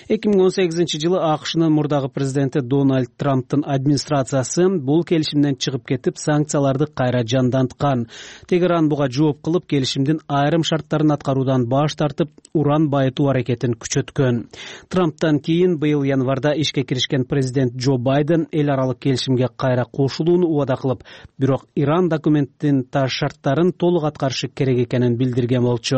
2018-жылы АКШнын мурдагы президенти Дональд Трамптын администрациясы бул келишимден чыгып кетип, санкцияларды кайра жанданткан. Тегеран буга жооп кылып, келишимдин айрым шарттарын аткаруудан баш тартып, уран байытуу аракетин күчөткөн. Трамптан кийин быйыл январда ишке киришкен президент Джо Байден эл аралык келишимге кайра кошулууну убада кылып, бирок Иран документтин шарттарын толук аткарышы керек экенин билдирген болчу.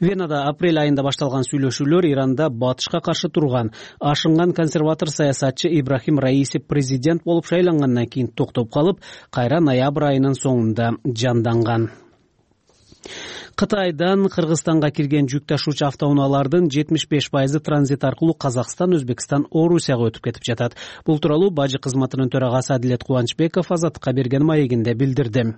Венада апрель айында башталган сүйлөшүүлөр Иранда батышка каршы турган ашынган консерватор саясатчы Ибрахим Раиси президент болуп шайлангандан кийин токтоп калып, кайра ноябрь айынын соңунда жанданган. Кытайдан Кыргызстанга кирген жүк ташуучу автоунаалардын 75% транзит аркылуу Казакстан, Өзбекстан, Орусияга өтүп кетип жатат. Бул тууралуу бажы кызматынын төрагасы Адилет Кубанычбеков Азаттыкка берген маегинде билдирди.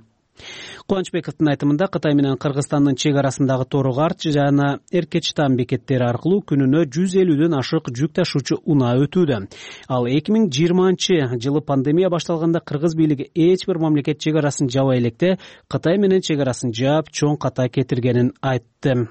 Кубанычбековдун айтымында Кытай менен Кыргызстандын чек арасындагы Торугарт жана Эркечтан бекеттери аркылуу күнүнө 150дөн ашык жүк ташуучу унаа өтүүдө. Ал 2020-жылы пандемия башталганда кыргыз бийлиги эч бир мамлекет чек арасын жабай электе Кытай менен чек арасын жаап, чоң ката кетиргенин айтты.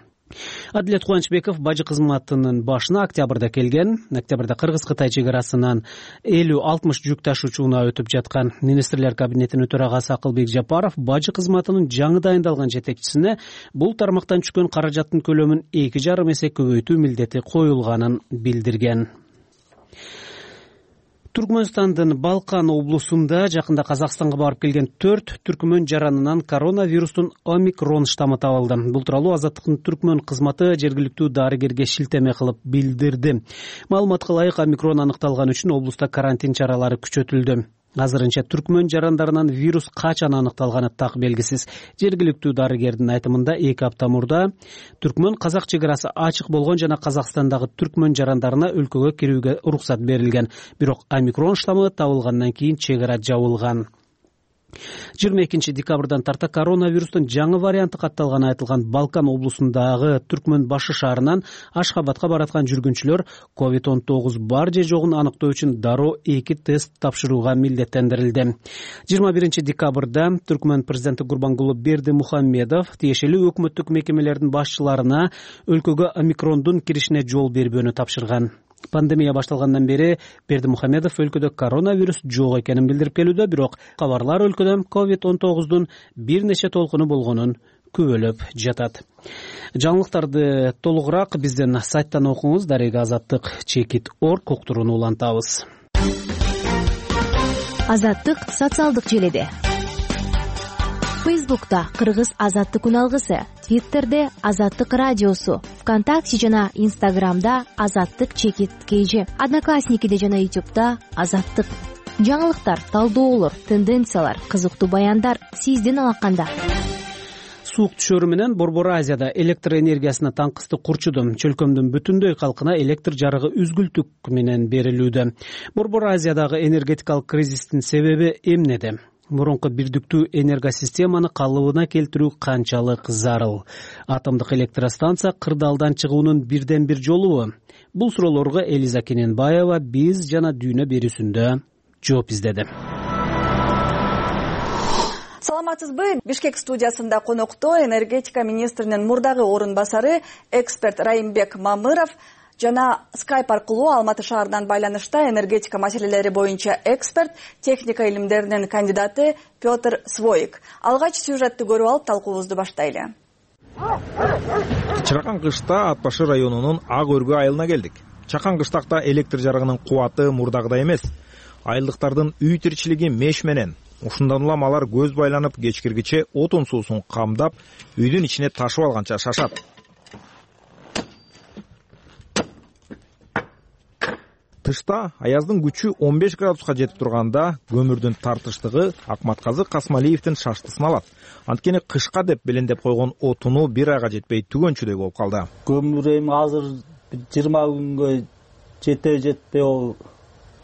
Адилет Кубанычбеков бажы кызматынын башына октябрда келген. Октябрда Кыргыз-Кытай чек арасынан 50-60 жүк ташуучу унаа өтүп жаткан. Министрлер кабинетинин төрагасы Акылбек Жапаров бажы кызматынын жаңы дайындалган жетекчисине бул тармактан түшкөн каражаттын көлөмүн 2,5 эсе көбөйтүү милдети коюлганын билдирген. Түркмөнстандын Балкан облусунда жакында Казакстанга барып келген 4 түркмөн жаранынан коронавирустун омикрон штаммы табылды. Бул тууралуу Азаттыктын түркмөн кызматы жергиликтүү дарыгерге шилтеме кылып билдирди. Маалыматка ылайык, омикрон аныкталган үчүн облуста карантин чаралары күчөтүлдү. Азырынча түркмөн жарандарынан вирус качан аныкталганы так белгисиз. Жергиликтүү дарыгердин айтымында 2 апта мурда түркмөн казак чек арасы ачык болгон жана Казакстандагы түркмөн жарандарына өлкөгө кирүүгө уруксат берилген. Бирок омикрон штаммы табылгандан кийин чек ара жабылган. 22 декабрдан тарта коронавирустун жаңы варианты катталганы айтылган Балкан облусундагы Түркмөн башы шаарынан Ашхабадка бараткан жүргүнчүлөр COVID-19 бар же жогун аныктоо үчүн дароо 2 тест тапшырууга милдеттендирилди. 21 декабрда Түркмөн президенти Гурбангулы Бердимухамедов тиешелүү өкмөттүк мекемелердин башчыларына өлкөгө омикрондун киришине жол бербөөнү тапшырган. Пандемия башталгандан бери Бердимухамедов өлкөдө коронавирус жок экенин билдирип келүүдө, бирок кабарлар өлкөдө COVID-19 бир нече толкуну болгонун күбөлөп жатат. Жаңылыктарды толугураак биздин сайттан окуңуз. Дарега Азаттык.org уктурууну улантабыз. Азаттык социалдык желеде. Фейсбукта Кыргыз Азаттык үналгысы, Твиттерде Азаттык радиосу, ВКонтакте жана Инстаграмда Азаттык_KG, Одноклассникиде жана Ютубта Азаттык. Жаңылыктар, талдоолор, тенденциялар, кызыктуу баяндар сиздин алаканда. Суук түшөрү менен Борбор Азияда электр энергиясына таңкысты курчуду. Чөлкөмдүн бүтүндөй калкына электр жарыгы үзгүлтүк менен берилүүдө. Борбор Азиядагы энергетикалык кризистин себеби эмнеде? Мурунку бирдиктүү энергосистеманы калыбына келтирүү канчалык зарыл? Атомдук электростанция кырдаалдан чыгуунун бирден бир жолубу? Бул суроолорго Элиза Кененбаева биз жана дүйнө берүүсүндө жооп издеди. Саламатсызбы? Бишкек студиясында конокто энергетика министринин мурдагы орун басары эксперт Райымбек Мамыров жана Skype аркылуу Алматы шаарынан байланышта энергетика маселелери боюнча эксперт, техника илимдеринин кандидаты Петр Своик. Алгач сюжетти көрүп алып талкуубузду баштайлы. Чыракан кышта Ат башы районунун Ак Өргө айылына келдик. Чакан кыштакта электр жарыгынын кубаты мурдагыдай эмес. Айылдыктардын үй тиричилиги меш менен. Ушундан улам алар көз байланып кечкиргиче отун суусун камдап, үйдүн ичине ташып алганча шашат. Тышта аяздын күчү 15 градуска жетип турганда көмүрдүн тартыштыгы Акматказы Касмалиевдин шаштысын алат. Анткени кышка деп белендеп койгон отуну бир айга жетпей түгөнчүдөй болуп калды. Көмүр эми азыр 20 күнгө жетпей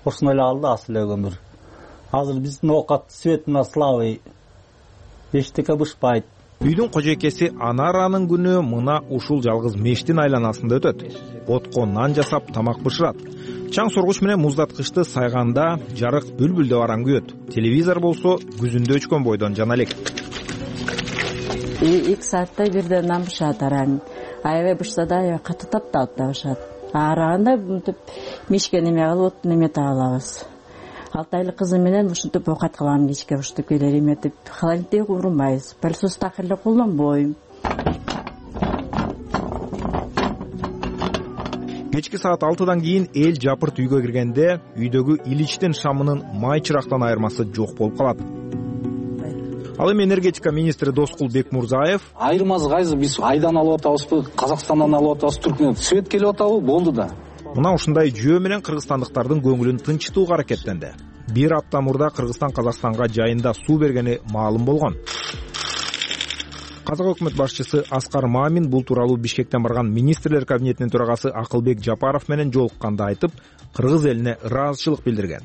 ошондой эле калды асыл эле көмүр. Азыр биздин оокат светине слабый. Эчтеке бышпайт. Үйдүн кожойкеси Анаранын күнү мына ушул жалгыз мештин айланасында өтөт. Отко нан жасап тамак бышырат. Чаң соргуч менен муздаткычты сайганда жарык бүлбүлдөп аран күйөт. Телевизор болсо күзүндө өчкөн бойдон жана элек. 2 саатта бирден нан бышат аран. Аябай бышса да аябай каты тапталып да бышат. Араганда мынтип мишке неме кылып неме таап алабыз. 6 айлык кызым менен ушинтип оокат кылам кечке ушинтип келер эметип холодильникте урмайбыз. Пылсыз такыр эле колдонбойм. Кечки саат 6-дан кийин эл жапырт үйгө киргенде үйдөгү иличтин шамынын май чырактан айырмасы жок болуп калат. Ал эми энергетика министри Доскул Бекмурзаев: айырмасы кайсы? Биз айдан алып атабызбы, Казакстандан алып атабыз, Түркмөндөн свет келип атабы, болду да. Мына ушундай жөө менен кыргызстандыктардын көңүлүн тынчытууга аракеттенди. Бир апта мурда Кыргызстан Казакстанга жайында суу бергени маалым болгон. Казак өкмөт башчысы Аскар Мамин бул тууралуу Бишкектен барган министрлер кабинетинин төрагасы Акылбек Жапаров менен жолукканда айтып, кыргыз элине ыраазычылык билдирген.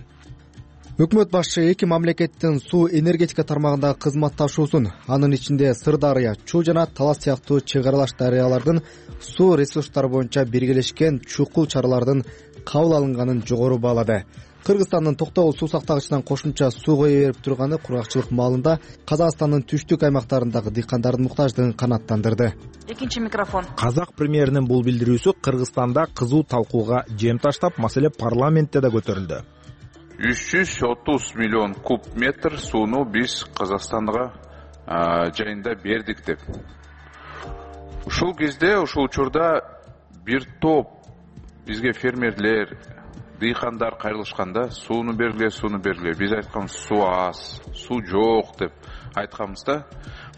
Өкмөт башчы эки мамлекеттин суу энергетика тармагындагы кызматташуусун, анын ичинде Сырдарыя, Чуу жана Талас сыяктуу чек аралаш дарыялардын суу ресурстары боюнча биргелешкен чукул чаралардын кабыл алынганын жогору баалады. Кыргызстандын токтогул суу сактагычынан кошумча суу кое берип турганы кургакчылык маалында Казакстандын түштүк аймактарындагы дыйкандардын муктаждыгын канааттандырды. Экинчи микрофон. Казак премьеринин бул билдирүүсү Кыргызстанда кызуу талкууга жем таштап, маселе парламентте да көтөрүлдү. 330 миллион куб метр сууну биз Казакстанга жайында бердик деп. Ушул кезде, ушул учурда бир топ бизге фермерлер, дыйкандар кайрылышканда сууну бергиле. Биз айтканбыз суу аз, суу жок деп айтканбызда.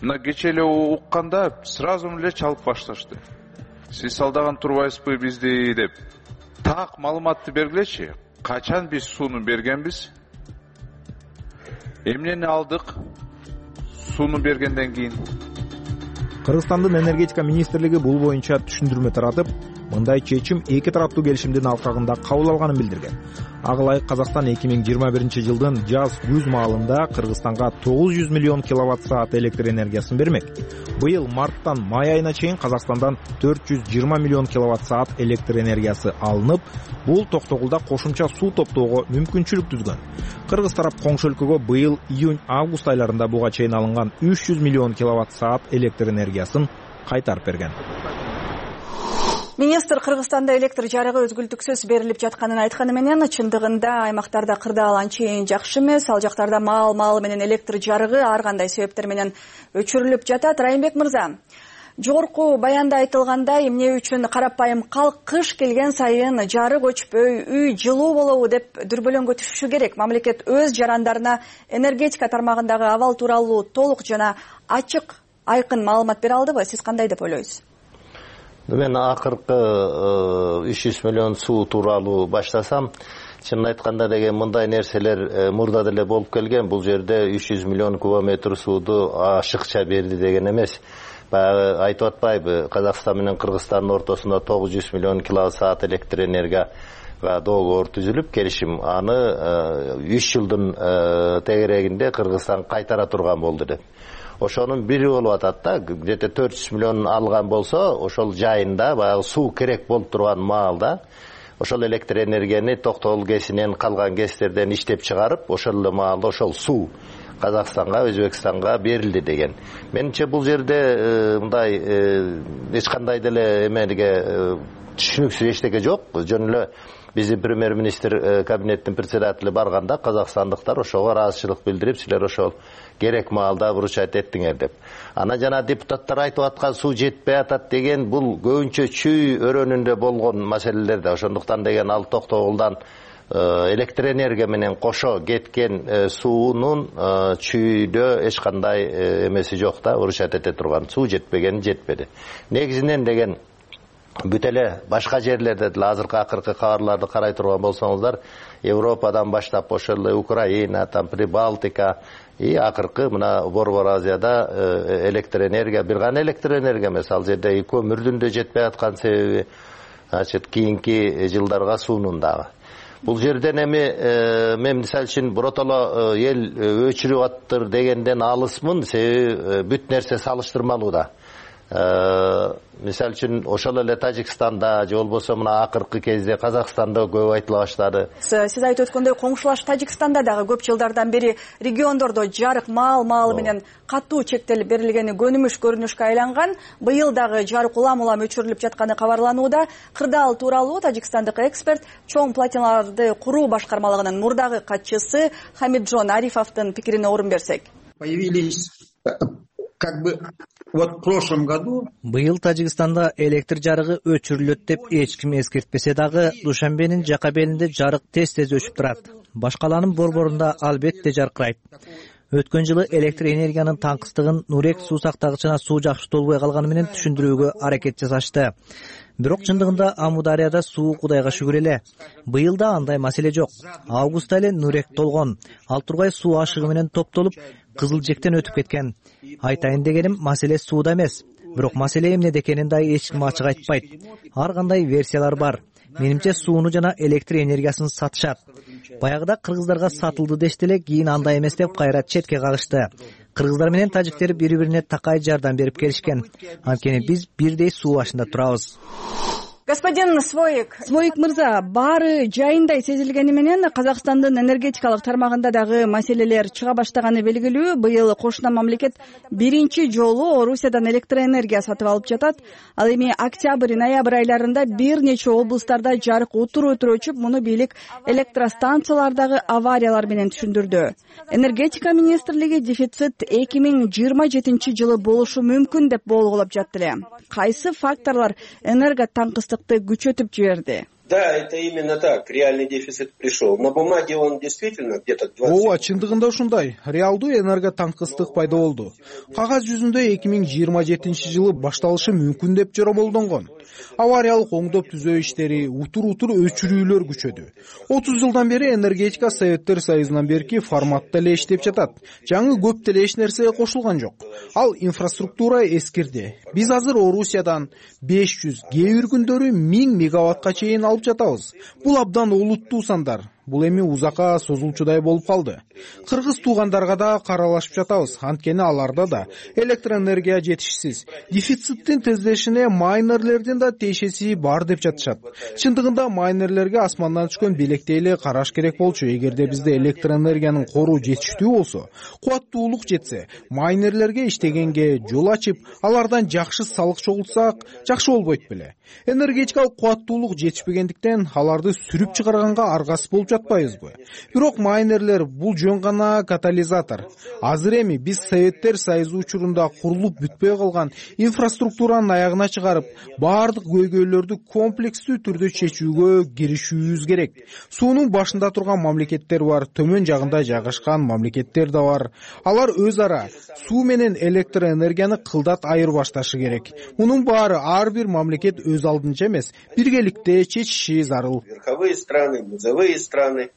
Мына кече эле укканда сразу эле чалып башташты. Сиз алдаган турбайсызбы бизди деп. Так маалыматты бергилечи. Качан биз сууну бергенбиз? Эмнени алдык? Сууну бергенден кийин. Кыргызстандын энергетика министрлиги бул боюнча түшүндүрмө таратып, мындай чечим эки тараптуу келишимдин алкагында кабыл алганын билдирген. Ага ылайык Казакстан 2021-жылдын жаз-күз маалында Кыргызстанга 900 миллион киловатт-саат электр энергиясын бермек. Быйыл марттан май айына чейин Казакстандан 420 миллион киловатт-саат электр энергиясы алынып, бул Токтогулда кошумча суу топтоого мүмкүнчүлүк түзгөн. Кыргыз тарап коңшу өлкөгө быйыл июнь-август айларында буга чейин алынган 300 миллион киловатт-саат электр энергиясын кайтарып берген. Министр Кыргызстанда электр жарыгы өзгүлтүксүз берилип жатканын айтканы менен, чындыгында аймактарда кырдаал анчейин жакшы эмес. Ал жактарда маал менен электр жарыгы ар кандай себептер менен өчүрүлүп жатат. Райымбек мырза, жогорку баянда айтылгандай, эмне үчүн карапайым калк кыш келген сайын жарык өчпөй, үй жылуу болобу деп дүрбөлөңгө түшүшү керек. Мамлекет өз жарандарына энергетика тармагындагы абал тууралуу толук жана ачык, айкын маалымат бере алдыбы? Сиз кандай деп ойлойсуз? Мен акыркы 300 миллион суу тууралуу баштасам, чынын айтканда деген мындай нерселер мурда деле болуп келген. Бул жерде 300 миллион кубометр сууду ашыкча берди деген эмес. Баягы айтып атпайбы, Казакстан менен Кыргызстандын ортосунда 900 миллион киловатт-саат электр энергияга доогор түзүлүп, келишим аны 3 жылдын тегерегинде Кыргызстан кайтара турган болду деп. Ошонун бири болуп атат да, где-то 400 миллион алган болсо, ошол жайында баягы суу керек болуп турган маалда ошол электр энергияны Токтогул КЭСинен калган КЭСтерден иштеп чыгарып, ошол эле маалда ошол суу Казакстанга, Өзбекстанга берилди деген. Менимче бул жерде мындай эч кандай деле эмелге түшүнүксүз эчтеке жок. Жөн эле биздин премьер-министр кабинеттин председатели барганда казакстандыктар ошого ыраазычылык билдирип, силер ошол керек маалда вручать эттиңер деп. Ана жана депутаттар айтып аткан суу жетпей атат деген бул көбүнчө чүй өрөөнүндө болгон маселелер да. Ошондуктан деген ал Токтогулдан электр энергия менен кошо кеткен суунун чүйдө эч кандай эмеси жок да, вручать эте турган. Суу жетпеген жетпеди. Негизинен деген бүт эле башка жерлерде деле азыркы акыркы кабарларды карай турган болсоңуздар, Европадан баштап ошол эле Украина, там Прибалтика и акыркы мына Борбор Азияда электр энергия, бир гана электр энергия эмес, ал жерде көмүрдүн да жетпей аткан себеби, значит, кийинки жылдарга суунун дагы. Бул жерден эми мен мисалы үчүн биротоло эл өчүрүп аттыр дегенден алысмын, себеби бүт нерсе салыштырмалуу да. Мисалы үчүн ошол эле Тажикстанда же болбосо мына акыркы кезде Казакстанда көп айтыла баштады. Сиз айтып өткөндөй коңшулаш Тажикстанда дагы көп жылдардан бери региондордо жарык маал менен катуу чектелип берилгени көнүмүш көрүнүшкө айланган. Быйыл дагы жарык улам өчүрүлүп жатканы кабарланууда. Кырдаал тууралуу тажикстандык эксперт чоң платиналарды куруу башкармалыгынын мурдагы катчысы Хамиджон Арифовдун пикирине орун берсек. Появились вот в прошлом году быйыл Тажикстанда электр жарыгы өчүрүлөт деп эч ким эскертпесе дагы, Душанбенин жака белинде жарык тез өчүп турат. Башкаланын борборунда албетте жаркырайт. Өткөн жылы электр энергиянын таңкыстыгын Нурек суу сактагычына суу жакшы толбой калганы менен түшүндүрүүгө аракет жасашты. Бирок чындыгында Амударияда суу Кудайга шүгүр эле. Быйыл да андай маселе жок. Августта эле Нурек толгон. Ал тургай суу ашыгы менен топтолуп, Кызыл жектен өтүп кеткен. Айтайын дегеним, маселе сууда эмес. Бирок маселе эмнеде экенин да эч ким ачык айтпайт. Ар кандай версиялар бар. Менимче сууну жана электр энергиясын сатышат. Баягыда кыргыздарга сатылды дешти эле, кийин андай эмес деп кайра четке кагышты. Кыргыздар менен тажиктер бири-бирине такай жардам берип келишкен. Анткени биз бирдей суу башында турабыз. Господин Своик мырза, баары жайындай сезилгени менен Казакстандын энергетикалык тармагында дагы маселелер чыга баштаганы белгилүү. Быйыл кошуна мамлекет биринчи жолу Орусиядан электр энергия сатып алып жатат. Ал эми октябрь-ноябрь айларында бир нече облустарда жарык утур өчүп, муну бийлик электростанциялардагы авариялар менен түшүндүрдү. Энергетика министрлиги дефицит 2027-жылы болушу мүмкүн деп болгулап жатты эле. Кайсы факторлор энерго таңкыстыкты күчөтүп жиберди? Да, это именно так. Реальный дефицит пришел. На бумаге он действительно где-то 20. Ооба, чындыгында ушундай. Реалдуу энерго таңкыстык пайда болду. Кагаз жүзүндө 2027-жылы башталышы мүмкүн деп жоромолдонгон. Авариялык оңдоп түзөө иштери, утур өчүрүүлөр күчөдү. 30 жылдан бери энергетика Советтер Союзунан берки форматта эле иштеп жатат. Жаңы көп деле эч нерсе кошулган жок. Ал инфраструктура эскирди. Биз азыр Орусиядан 500, кээ бир күндөрү 1000 мегаваттка чейин алып жатабыз. Бул абдан олуттуу сандар. Бул эми узакка созулчудай болуп калды. Кыргыз туугандарга да каралашып жатабыз. Анткени аларда да электроэнергия жетишсиз. Дефициттин тездешине майнерлердин да тиешеси бар деп жатышат. Чындыгында майнерлерге асмандан түшкөн белектей эле караш керек болчу. Эгерде бизде электроэнергиянын кору жетиштүү болсо, кубаттуулук жетсе, майнерлерге иштегенге жол ачып, алардан жакшы салык чогултсак, жакшы болбойт беле? Энергетикалык кубаттуулук жетишпегендиктен аларды сүрүп чыгарганга аргасыз болуп жатпайбызбы? Бирок майнерлер бул жөн гана катализатор. Азыр эми биз Советтер Союзу учурунда курулуп бүтпөй калган инфраструктуранын аягына чыгарып, баардык көйгөйлөрдү комплекстүү түрдө чечүүгө киришүүбүз керек. Суунун башында турган мамлекеттер бар, төмөн жагында жайгашкан мамлекеттер да бар. Алар өз ара суу менен электроэнергияны кылдат айыр башташы керек. Мунун баары ар бир мамлекет өз алдынча эмес, биргеликте чечиши зарыл. Верховые страны, низовые страны.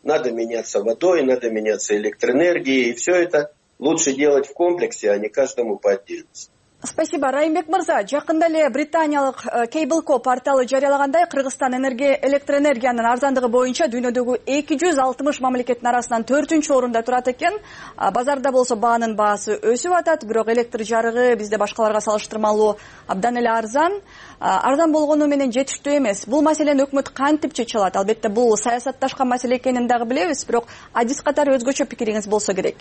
Надо меняться водой, надо меняться электроэнергией. И все это лучше делать в комплексе, а не каждому по отдельности. Спасибо, Райымбек мырза. Жакында эле британиялык Cable.co порталы жарыялагандай, Кыргызстан электроэнергиянын арзандыгы боюнча дүйнөдөгү 260 мамлекеттин арасынан 4-орунда турат экен. Базарда болсо баанын баасы өсүп атат, бирок электр жарыгы бизде башкаларга салыштырмалуу абдан эле арзан. Арзан болгону менен жетиштүү эмес. Бул маселени өкмөт кантип чече алат? Албетте бул саясатташкан маселе экенин дагы билебиз, бирок адис катары өзгөчө пикириңиз болсо керек.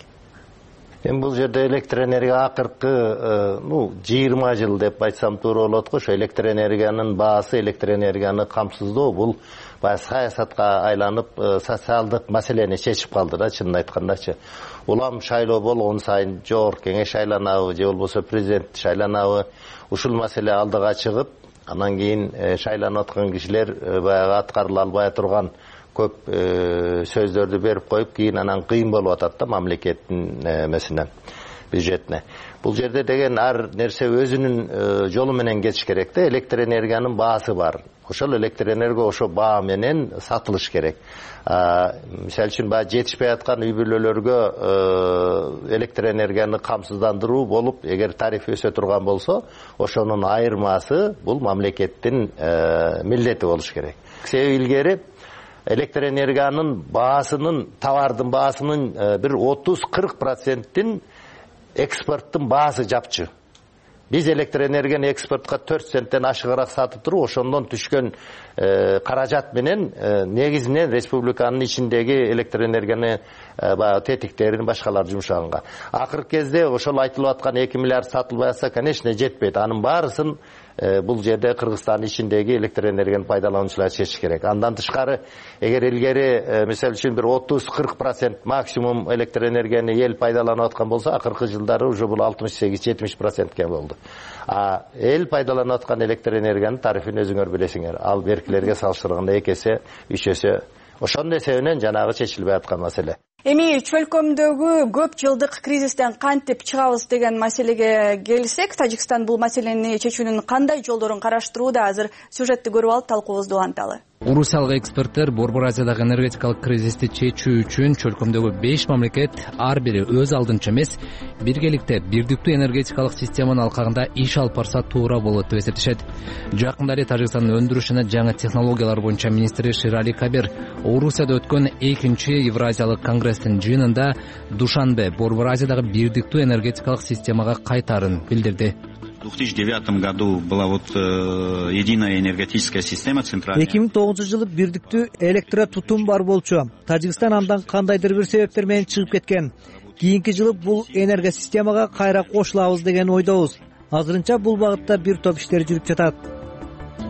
Эми бул жерде электроэнергия акыркы 20 жыл деп айтсам туура болот го. Ошо электроэнергиянын баасы, электроэнергияны камсыздоо бул баягы саясатка айланып, социалдык маселени чечип калды да, чынын айткандачы. Улам шайлоо болгон сайын жогорку кеңеш шайланабы, же болбосо президент шайланабы, ушул маселе алдыга чыгып, анан кийин шайланып аткан кишилер баягы аткарыла албай турган көп сөздөрдү берип коюп, кийин анан кыйын болуп атат да мамлекеттин эмесине, бюджетине. Бул жерде деген ар нерсе өзүнүн жолу менен кетиш керек да. Электроэнергиянын баасы бар. Ошол электроэнергия ошо баа менен сатылыш керек. Мисалы үчүн баягы жетишпей аткан үй бүлөлөргө электроэнергияны камсыздандыруу болуп, эгер тариф өсө турган болсо, ошонун айырмасы бул мамлекеттин милдети болуш керек. Себеби илгери электроэнергиянын баасынын, товардын баасынын бир 30-40%-ин экспорттун баасы жапчы. Биз электроэнергияны экспортко 4 центтен ашыгыраак сатып туруп, ошондон түшкөн каражат менен негизинен республиканын ичиндеги электроэнергияны баягы тетиктерин башкалар жумшаганга. Акыркы кезде ошол айтылып аткан 2 миллиард сатылбай атса, конечно, жетпейт. Анын баарысын бул жерде Кыргызстан ичиндеги электроэнергияны пайдалануучулар чечиш керек. Андан тышкары, эгер илгери мисалы үчүн бир 30-40% максимум электроэнергияны эл пайдаланып аткан болсо, акыркы жылдары уже бул 68-70%ке болду. Эл пайдаланып аткан электроэнергиянын тарифин өзүңөр билесиңер. Ал беркилерге салыштырганда 2 эсе, 3 эсе. Ошондой себептен жанагы чечилбей аткан маселе. Эми чөлкөмдөгү көп жылдык кризистен кантип чыгабыз деген маселеге келсек, Тажикстан бул маселени чечүүнүн кандай жолдорун караштырууда? Азыр сюжетти көрүп алып талкуубузду уланталы. Орусиялык эксперттер Борбор Азиядагы энергетикалык кризисти чечүү үчүн чөлкөмдөгү 5 мамлекет ар бири өз алдынча эмес, биргеликте бирдиктүү энергетикалык системанын алкагында иш алып барса туура болот деп эсептешет. Жакында эле Тажикстандын өндүрүш жана жаңы технологиялар боюнча министри Ширали Кабир Орусияда өткөн 2-чи Евразиялык конгресстин жыйынында Душанбе Борбор Азиядагы бирдиктүү энергетикалык системага кайтаарын билдирди. В 2009 году была единая энергетическая система центральная. 2009-жылы бирдиктүү электротутум бар болчу. Тажикстан андан кандайдыр бир себептер менен чыгып кеткен. Кийинки жылы бул энергосистемага кайра кошулабыз деген ойдобуз. Азырынча бул багытта бир топ иштер жүрүп жатат.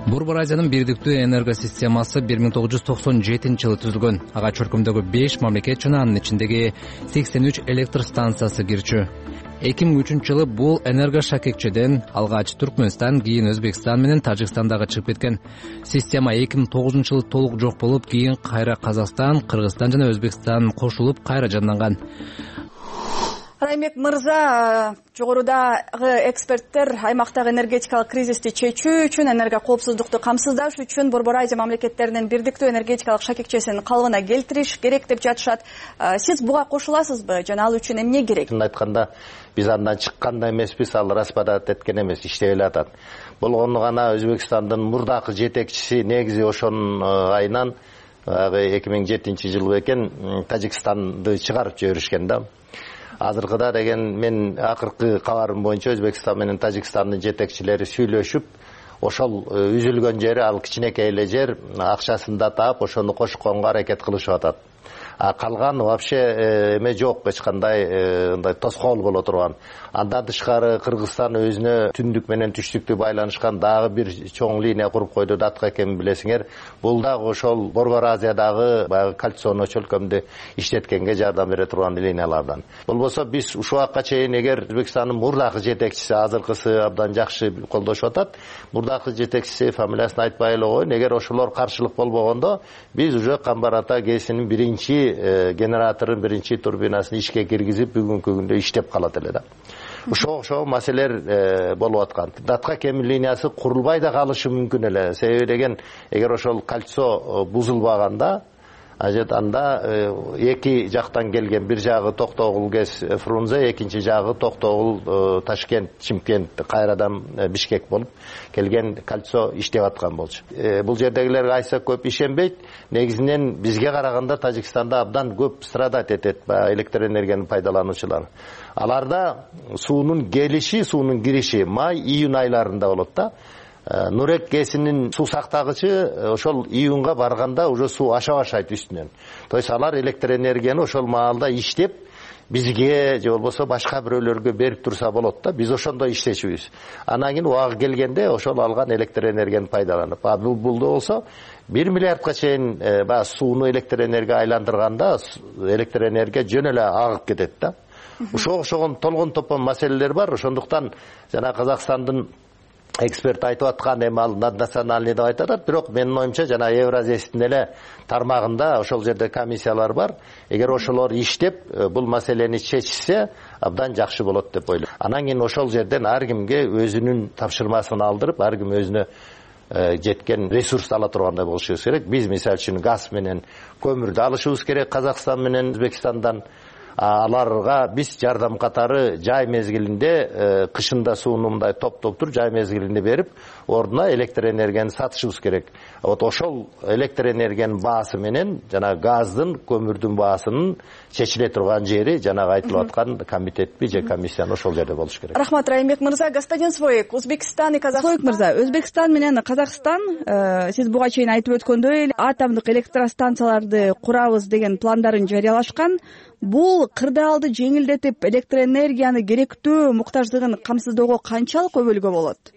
Борбор Азиянын бирдиктүү энергосистемасы 1997-жылы түзүлгөн. Ага чөлкөмдөгү 5 мамлекет жана анын ичиндеги 83 электр станциясы кирчү. 2003 бул энергошакекчеден алгач Түркмөнстан, кийин Өзбекстан менен Тажикстандагы чыгып кеткен. Система 2009 толук жок болуп, кийин кайра Казакстан, Кыргызстан жана Өзбекстан кошулуп кайра жанданган. Раймбек мырза, жогорудагы эксперттер аймактагы энергетикалык кризисти чечүү үчүн, энерго коопсуздукту камсыздаш үчүн Борбор Азия мамлекеттеринин бирдиктүү энергетикалык шакекчесин калыбына келтириш керек деп жатышат. Сиз буга кошуласызбы жана ал үчүн эмне керек? Айтканда, биз андан чыккан да эмеспиз, ал распадать эткен эмес, иштеп элатат. Болгону гана Өзбекстандын мурдакы жетекчиси негизи ошонун айынан 2007 экен Тажикстанды чыгарып жиберишкен да. Азыркыда деген мен акыркы кабарым боюнча Өзбекстан менен Тажикстандын жетекчилери сүйлөшүп, ошол үзүлгөн жери, ал кичинекей эле жер, акчасын да таап, ошону кошконго аракет кылышып атат. Калган вообще эме жок, эч кандай мындай тоскоол боло турган. Андан тышкары Кыргызстан өзүнө түндүк менен түштүктү байланышкан дагы бир чоң линия куруп койду, датка экенин билесиңер. Бул дагы ошол Борбор Азиядагы баягы кольцону чөлкөмдү иштеткенге жардам бере турган линиялардан. Болбосо биз ушул убакка чейин эгер Өзбекстандын мурдакы жетекчиси, азыркысы абдан жакшы колдошуп атат, мурдакы жетекчиси фамилиясын айтпай эле коеюн, эгер ошолор каршылык болбогондо биз уже Камбар Ата ГЭСинин биринчи генераторун, биринчи турбинасын ишке киргизип бүгүнкү күндө иштеп калат эле да. Ошол маселелер болуп аткан. Датка кем линиясы курулбай да калышы мүмкүн эле. Себеби деген, эгер ошол кольцо бузулбаганда, анда эки жактан келген, бир жагы Токтогул ГЭС Фрунзе, экинчи жагы Токтогул Ташкент, Чимкент, кайрадан Бишкек болуп келген кольцо иштеп аткан болчу. Бул жердегилер кайсы көп ишенбейт. Негизинен бизге караганда Тажикстанда абдан көп страдать этет электр энергияны пайдалануучулар. Аларда суунун келиши, суунун кириши май, июнь айларында болот да. Нурек ГЭСинин суу сактагычы ошол июнга барганда уже суу аша баштайт үстүнөн. То есть алар электр энергияны ошол маалда иштеп бизге же болбосо башка бирөөлөргө берип турса болот да. Биз ошондой иштечүбүз. Анан кийин убагы келгенде ошол алган электр энергияны пайдаланып, булда болсо 1 миллиардка чейин сууну электр энергия айландырганда электр энергия жөн эле агып кетет да. Ошого толгон топон маселелер бар. Ошондуктан жана Казакстандын эксперт айтып аткан эми ал наднациональный деп айтат, бирок менин оюмча жана Евразиядин эле тармагында ошол жерде комиссиялар бар. Эгер ошолор иштеп бул маселени чечсе, абдан жакшы болот деп ойлойм. Анан кийин ошол жерден ар кимге өзүнүн тапшырмасын алдырып, ар ким өзүнө жеткен ресурс ала тургандай болушубуз керек. Биз мисалы үчүн газ менен көмүрдү алышыбыз керек Казакстан менен Өзбекстандан. Аларга биз жардам катары жай мезгилинде, кышында сууну мындай топ-топтур жай мезгилинде берип, ордуна электр энергияны сатышыбыз керек. Вот ошол электр энергиянын баасы менен жана газдын, көмүрдүн баасынын чечиле турган жери жанагы айтылып аткан комитетпи же комиссияны ошол жерде болуш керек. Рахмат, Раймбек мырза. Господин Своек, Өзбекстан и Казакстан. Своек мырза, Өзбекстан менен Казакстан, сиз буга чейин айтып өткөндөй, атомдук электростанцияларды курабыз деген пландарын жарыялашкан. Бул кырдаалды жеңилдетип, электр энергияны керектүү муктаждыгын камсыздоого канчалык көбөлгө болот?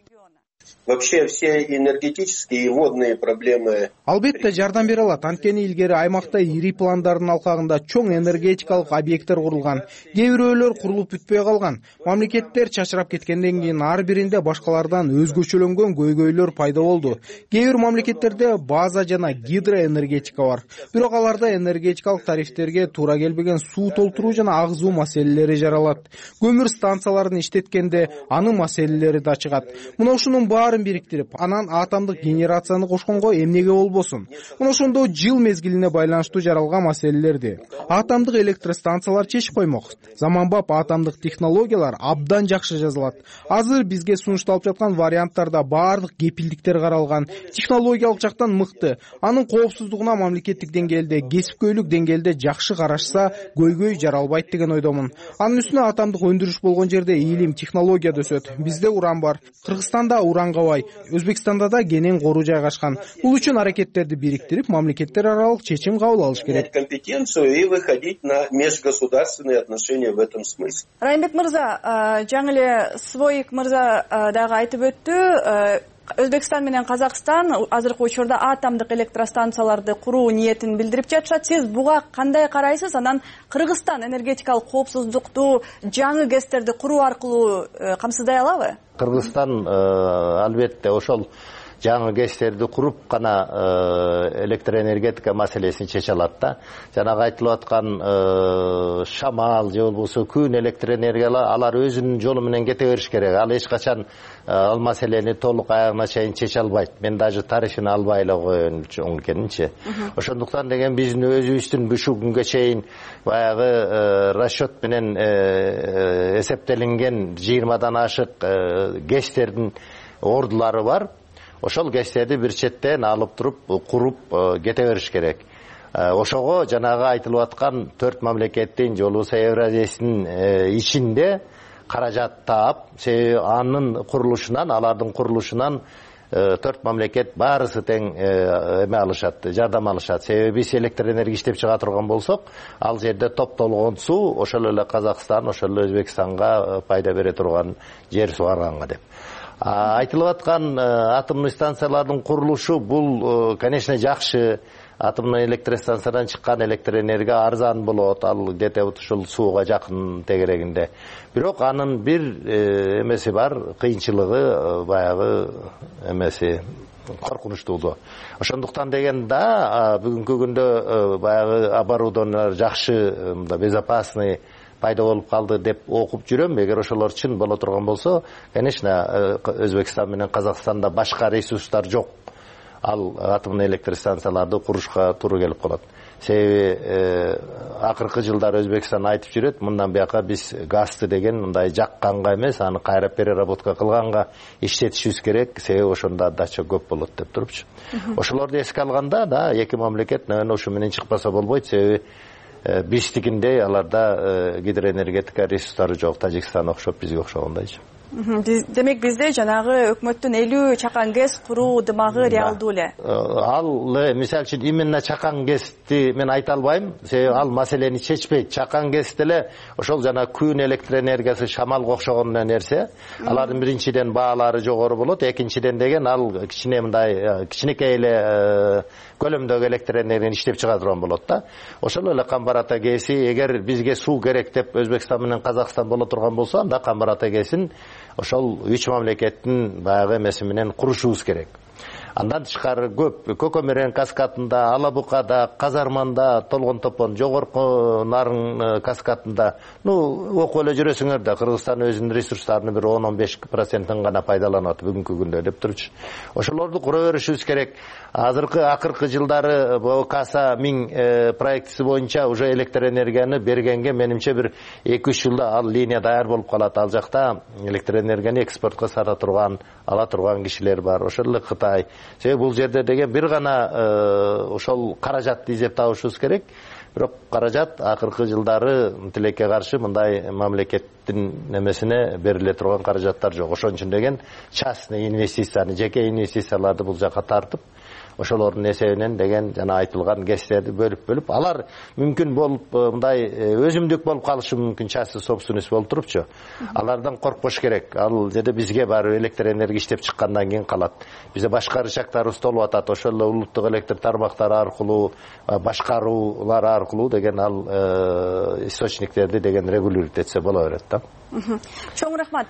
Вообще все энергетические и водные проблемы. Албетте жардам бере алат. Анткени илгери аймакта ири пландардын алкагында чоң энергетикалык объекттер курулган. Кээ бирөөлөр курулуп бүтпөй калган. Мамлекеттер чачырап кеткенден кийин ар биринде башкалардан өзгөчөлөнгөн көйгөйлөр пайда болду. Кээ бир мамлекеттерде база жана гидроэнергетика бар. Бирок аларда энергетикалык тарифтерге туура келбеген суу толтуруу жана агызуу маселелери жаралат. Көмүр станцияларын иштеткенде анын маселелери да чыгат. Мына ушунун баарын бириктирип, анан атомдук генерацияны кошконго эмнеге болбосун? Мына ошондо жыл мезгилине байланыштуу жаралган маселелерди атомдук электростанциялар чечип коймок. Заманбап атомдук технологиялар абдан жакшы жазылат. Азыр бизге сунушталып жаткан варианттарда баардык кепилдиктер каралган. Технологиялык жактан мыкты. Анын коопсуздугуна мамлекеттик деңгээлде, кесипкөйлүк деңгээлде жакшы карашса, көйгөй жаралбайт деген ойдомун. Анын үстүнө атомдук өндүрүш болгон жерде илим, технология да өсөт. Бизде уран бар. Кыргызстанда уранга бай, Өзбекстанда да кенен кору жайгашкан. Бул үчүн аракеттерди бириктирип, мамлекеттер аралык чечим кабыл алыш керек. Компетенцию и выходить на межгосударственные отношения в этом смысле. Раймбек мырза, жаңы эле Своик мырза дагы айтып өттү. Өзбекстан менен Казакстан азыркы учурда атомдук электростанцияларды куруу ниетин билдирип жатышат. Сиз буга кандай карайсыз? Анан Кыргызстан энергетикалык коопсуздукту, жаңы ГЭСтерди куруу аркылуу камсыздай алабы? Кыргызстан албетте ошол жаңы ГЭСтерди куруп гана электроэнергетика маселесин чече алат да. Жанагы айтылып аткан шамал же болбосо күн электроэнергиялар алар өзүнүн жолу менен кете бериш керек. Ал эч качан ал маселени толук аягына чейин чече албайт. Мен даже тарыхын албай эле коеюн экенинчи. Ошондуктан деген биздин өзүбүздүн ушул күнгө чейин баягы расчет менен эсептелинген 20дан ашык ГЭСтердин ордулары бар. Ошол ГЭСтерди бир четтен алып туруп куруп кете бериш керек. Ошого жанагы айтылып аткан 4 мамлекеттин же болбосо Евразиянын ичинде каражат таап, себеби анын курулушунан, алардын курулушунан 4 мамлекет баарысы тең эме алышат, жардам алышат. Себеби биз электр энергия иштеп чыга турган болсок, ал жерде топтолгон суу ошол эле Казакстан, ошол эле Өзбекстанга пайда бере турган жер сугарганга деп. Айтылып аткан атомдук станциялардын курулушу бул, конечно, жакшы. Атомдук электростанциядан чыккан электр энергия арзан болот, ал где-то ушул сууга жакын тегерегинде. Бирок анын бир эмеси бар, кыйынчылыгы баягы эмеси коркунучтуулу. Ошондуктан деген да бүгүнкү күндө баягы оборудованиялар жакшы, безопасный пайда болуп калды деп окуп жүрөм. Эгер ошолор чын боло турган болсо, конечно, Өзбекстан менен Казакстанда башка ресурстар жок. Ал атомдук электростанцияларды курушка туура келип калат. Себеби акыркы жылдары Өзбекстан айтып жүрөт, мындан бияка биз газды деген мындай жакканга эмес, аны кайра переработка кылганга иштетишибиз керек, себеби ошондо отдача көп болот деп турупчу. Ошолорду эске алганда да эки мамлекет ошо менен чыкпаса болбойт, себеби биздикиндей аларда гидроэнергетика ресурстары жок, Тажикстан окшоп, бизге окшогондойчу. Демек бизде жанагы өкмөттүн 50 чакан ГЭС куруу дымагы реалдуу эле. Ал мисалы үчүн именно чакан ГЭСти мен айта албайм, себеби ал маселени чечпейт. Чакан ГЭС деле ошол жана күн электроэнергиясы, шамалга окшогон нерсе. Алардын биринчиден баалары жогору болот, экинчиден деген ал кичине мындай кичинекей эле көлөмдөгү электроэнергияны иштеп чыга турган болот да. Ошол эле Камбар-Ата ГЭСи, эгер бизге суу керек деп Өзбекстан менен Казакстан боло турган болсо, анда Камбар-Ата ГЭСин ошол 3 мамлекеттин баягы эмеси менен курушубуз керек. Андан тышкары көп Көкөмөрөн каскадында, Алабукада, Казарманда, Толгон топон жогорку Нарын каскадында, окуп эле жүрөсүңөр да, Кыргызстан өзүнүн ресурстарынын бир 10-15% гана пайдаланат бүгүнкү күндө деп турчу. Ошолорду кура беришибиз керек. Акыркы жылдары КАСА 1000 проектиси боюнча уже электроэнергияны бергенге менимче бир 2-3 жылда ал линия даяр болуп калат. Ал жакта электроэнергияны экспортко сата турган, ала турган кишилер бар. Ошол эле Кытай. Себеби бул жерде деген бир гана ошол каражатты издеп табышыбыз керек. Бирок каражат акыркы жылдары тилекке каршы мындай мамлекеттин немесине бериле турган каражаттар жок. Ошон үчүн деген частный инвестицияны, жеке инвестицияларды бул жака тартып, ошолордун эсебинен деген жана айтылган ГЭСтерди бөлүп алар мүмкүн болуп мындай өзүмдүк болуп калышы мүмкүн, частный собственность болуп турупчу. Алардан коркпош керек. Ал жерде бизге баары электроэнергия иштеп чыккандан кийин калат. Бизде башка рычагдарыбыз толуп атат. Ошол эле улуттук электр тармактары аркылуу, башкаруулар аркылуу деген ал источниктерди деген регулировать этсе боло берет да. Чоң рахмат.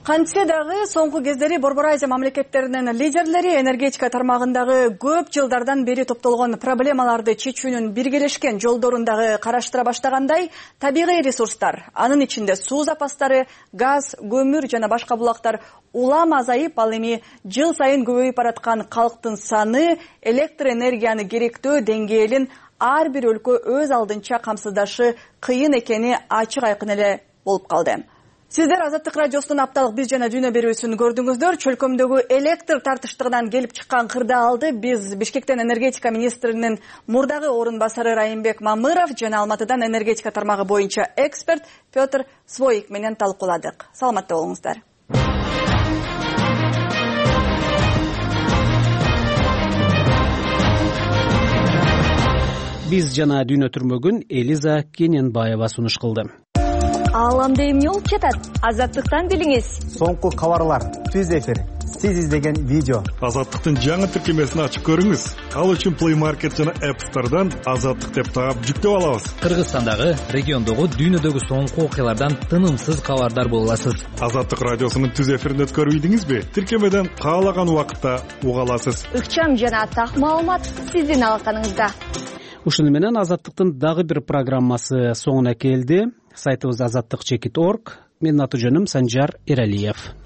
Кантсе дагы соңку кездери Борбор Азия мамлекеттеринин лидерлери энергетика тармагындагы көп жылдардан бери топтолгон проблемаларды чечүүнүн биргелешкен жолдорун дагы караштыра баштагандай, табигый ресурстар, анын ичинде суу запастары, газ, көмүр жана башка булактар улам азайып, ал эми жыл сайын көбөйүп бараткан калктын саны электроэнергияны керектөө деңгээлин ар бир өлкө өз алдынча камсыздашы кыйын экени ачык айкын эле болуп калды. Сиздер Азаттык радиосунун апталык биз жана дүйнө берүүсүн көрдүңүздөр. Чөлкөмдөгү электр тартыштыгынан келип чыккан кырдаалды биз Бишкектен энергетика министринин мурдагы орун басары Райымбек Мамыров жана Алматыдан энергетика тармагы боюнча эксперт Петр Своик менен талкууладык. Саламатта болуңуздар. Биз жана дүйнө түрмөгүн Элиза Кененбаева сунуш кылды. Ааламда эмне болуп жатат? Азаттыктан билиңиз. Соңку кабарлар, түз эфир сиз издеген видео. Азаттыктын жаңы тиркемесин ачып көрүңүз. Ал үчүн Play Market жана App Store'дан Азаттык деп таап жүктөп алабыз. Кыргызстандагы, региондогу, дүйнөдөгү соңку окуялардан тынымсыз кабардар боло аласыз. Азаттык радиосунун түз эфирин өткөрбөйдүңүзбү? Тиркемеден каалаган убакытта уга аласыз. Ыкчам жана так маалымат сиздин алаканыңызда. Ушуну менен Азаттыктын дагы бир программасы соңуна келди. Сайтыбыз azattik.org. Менин аты жөнүм Санжар Эралиев.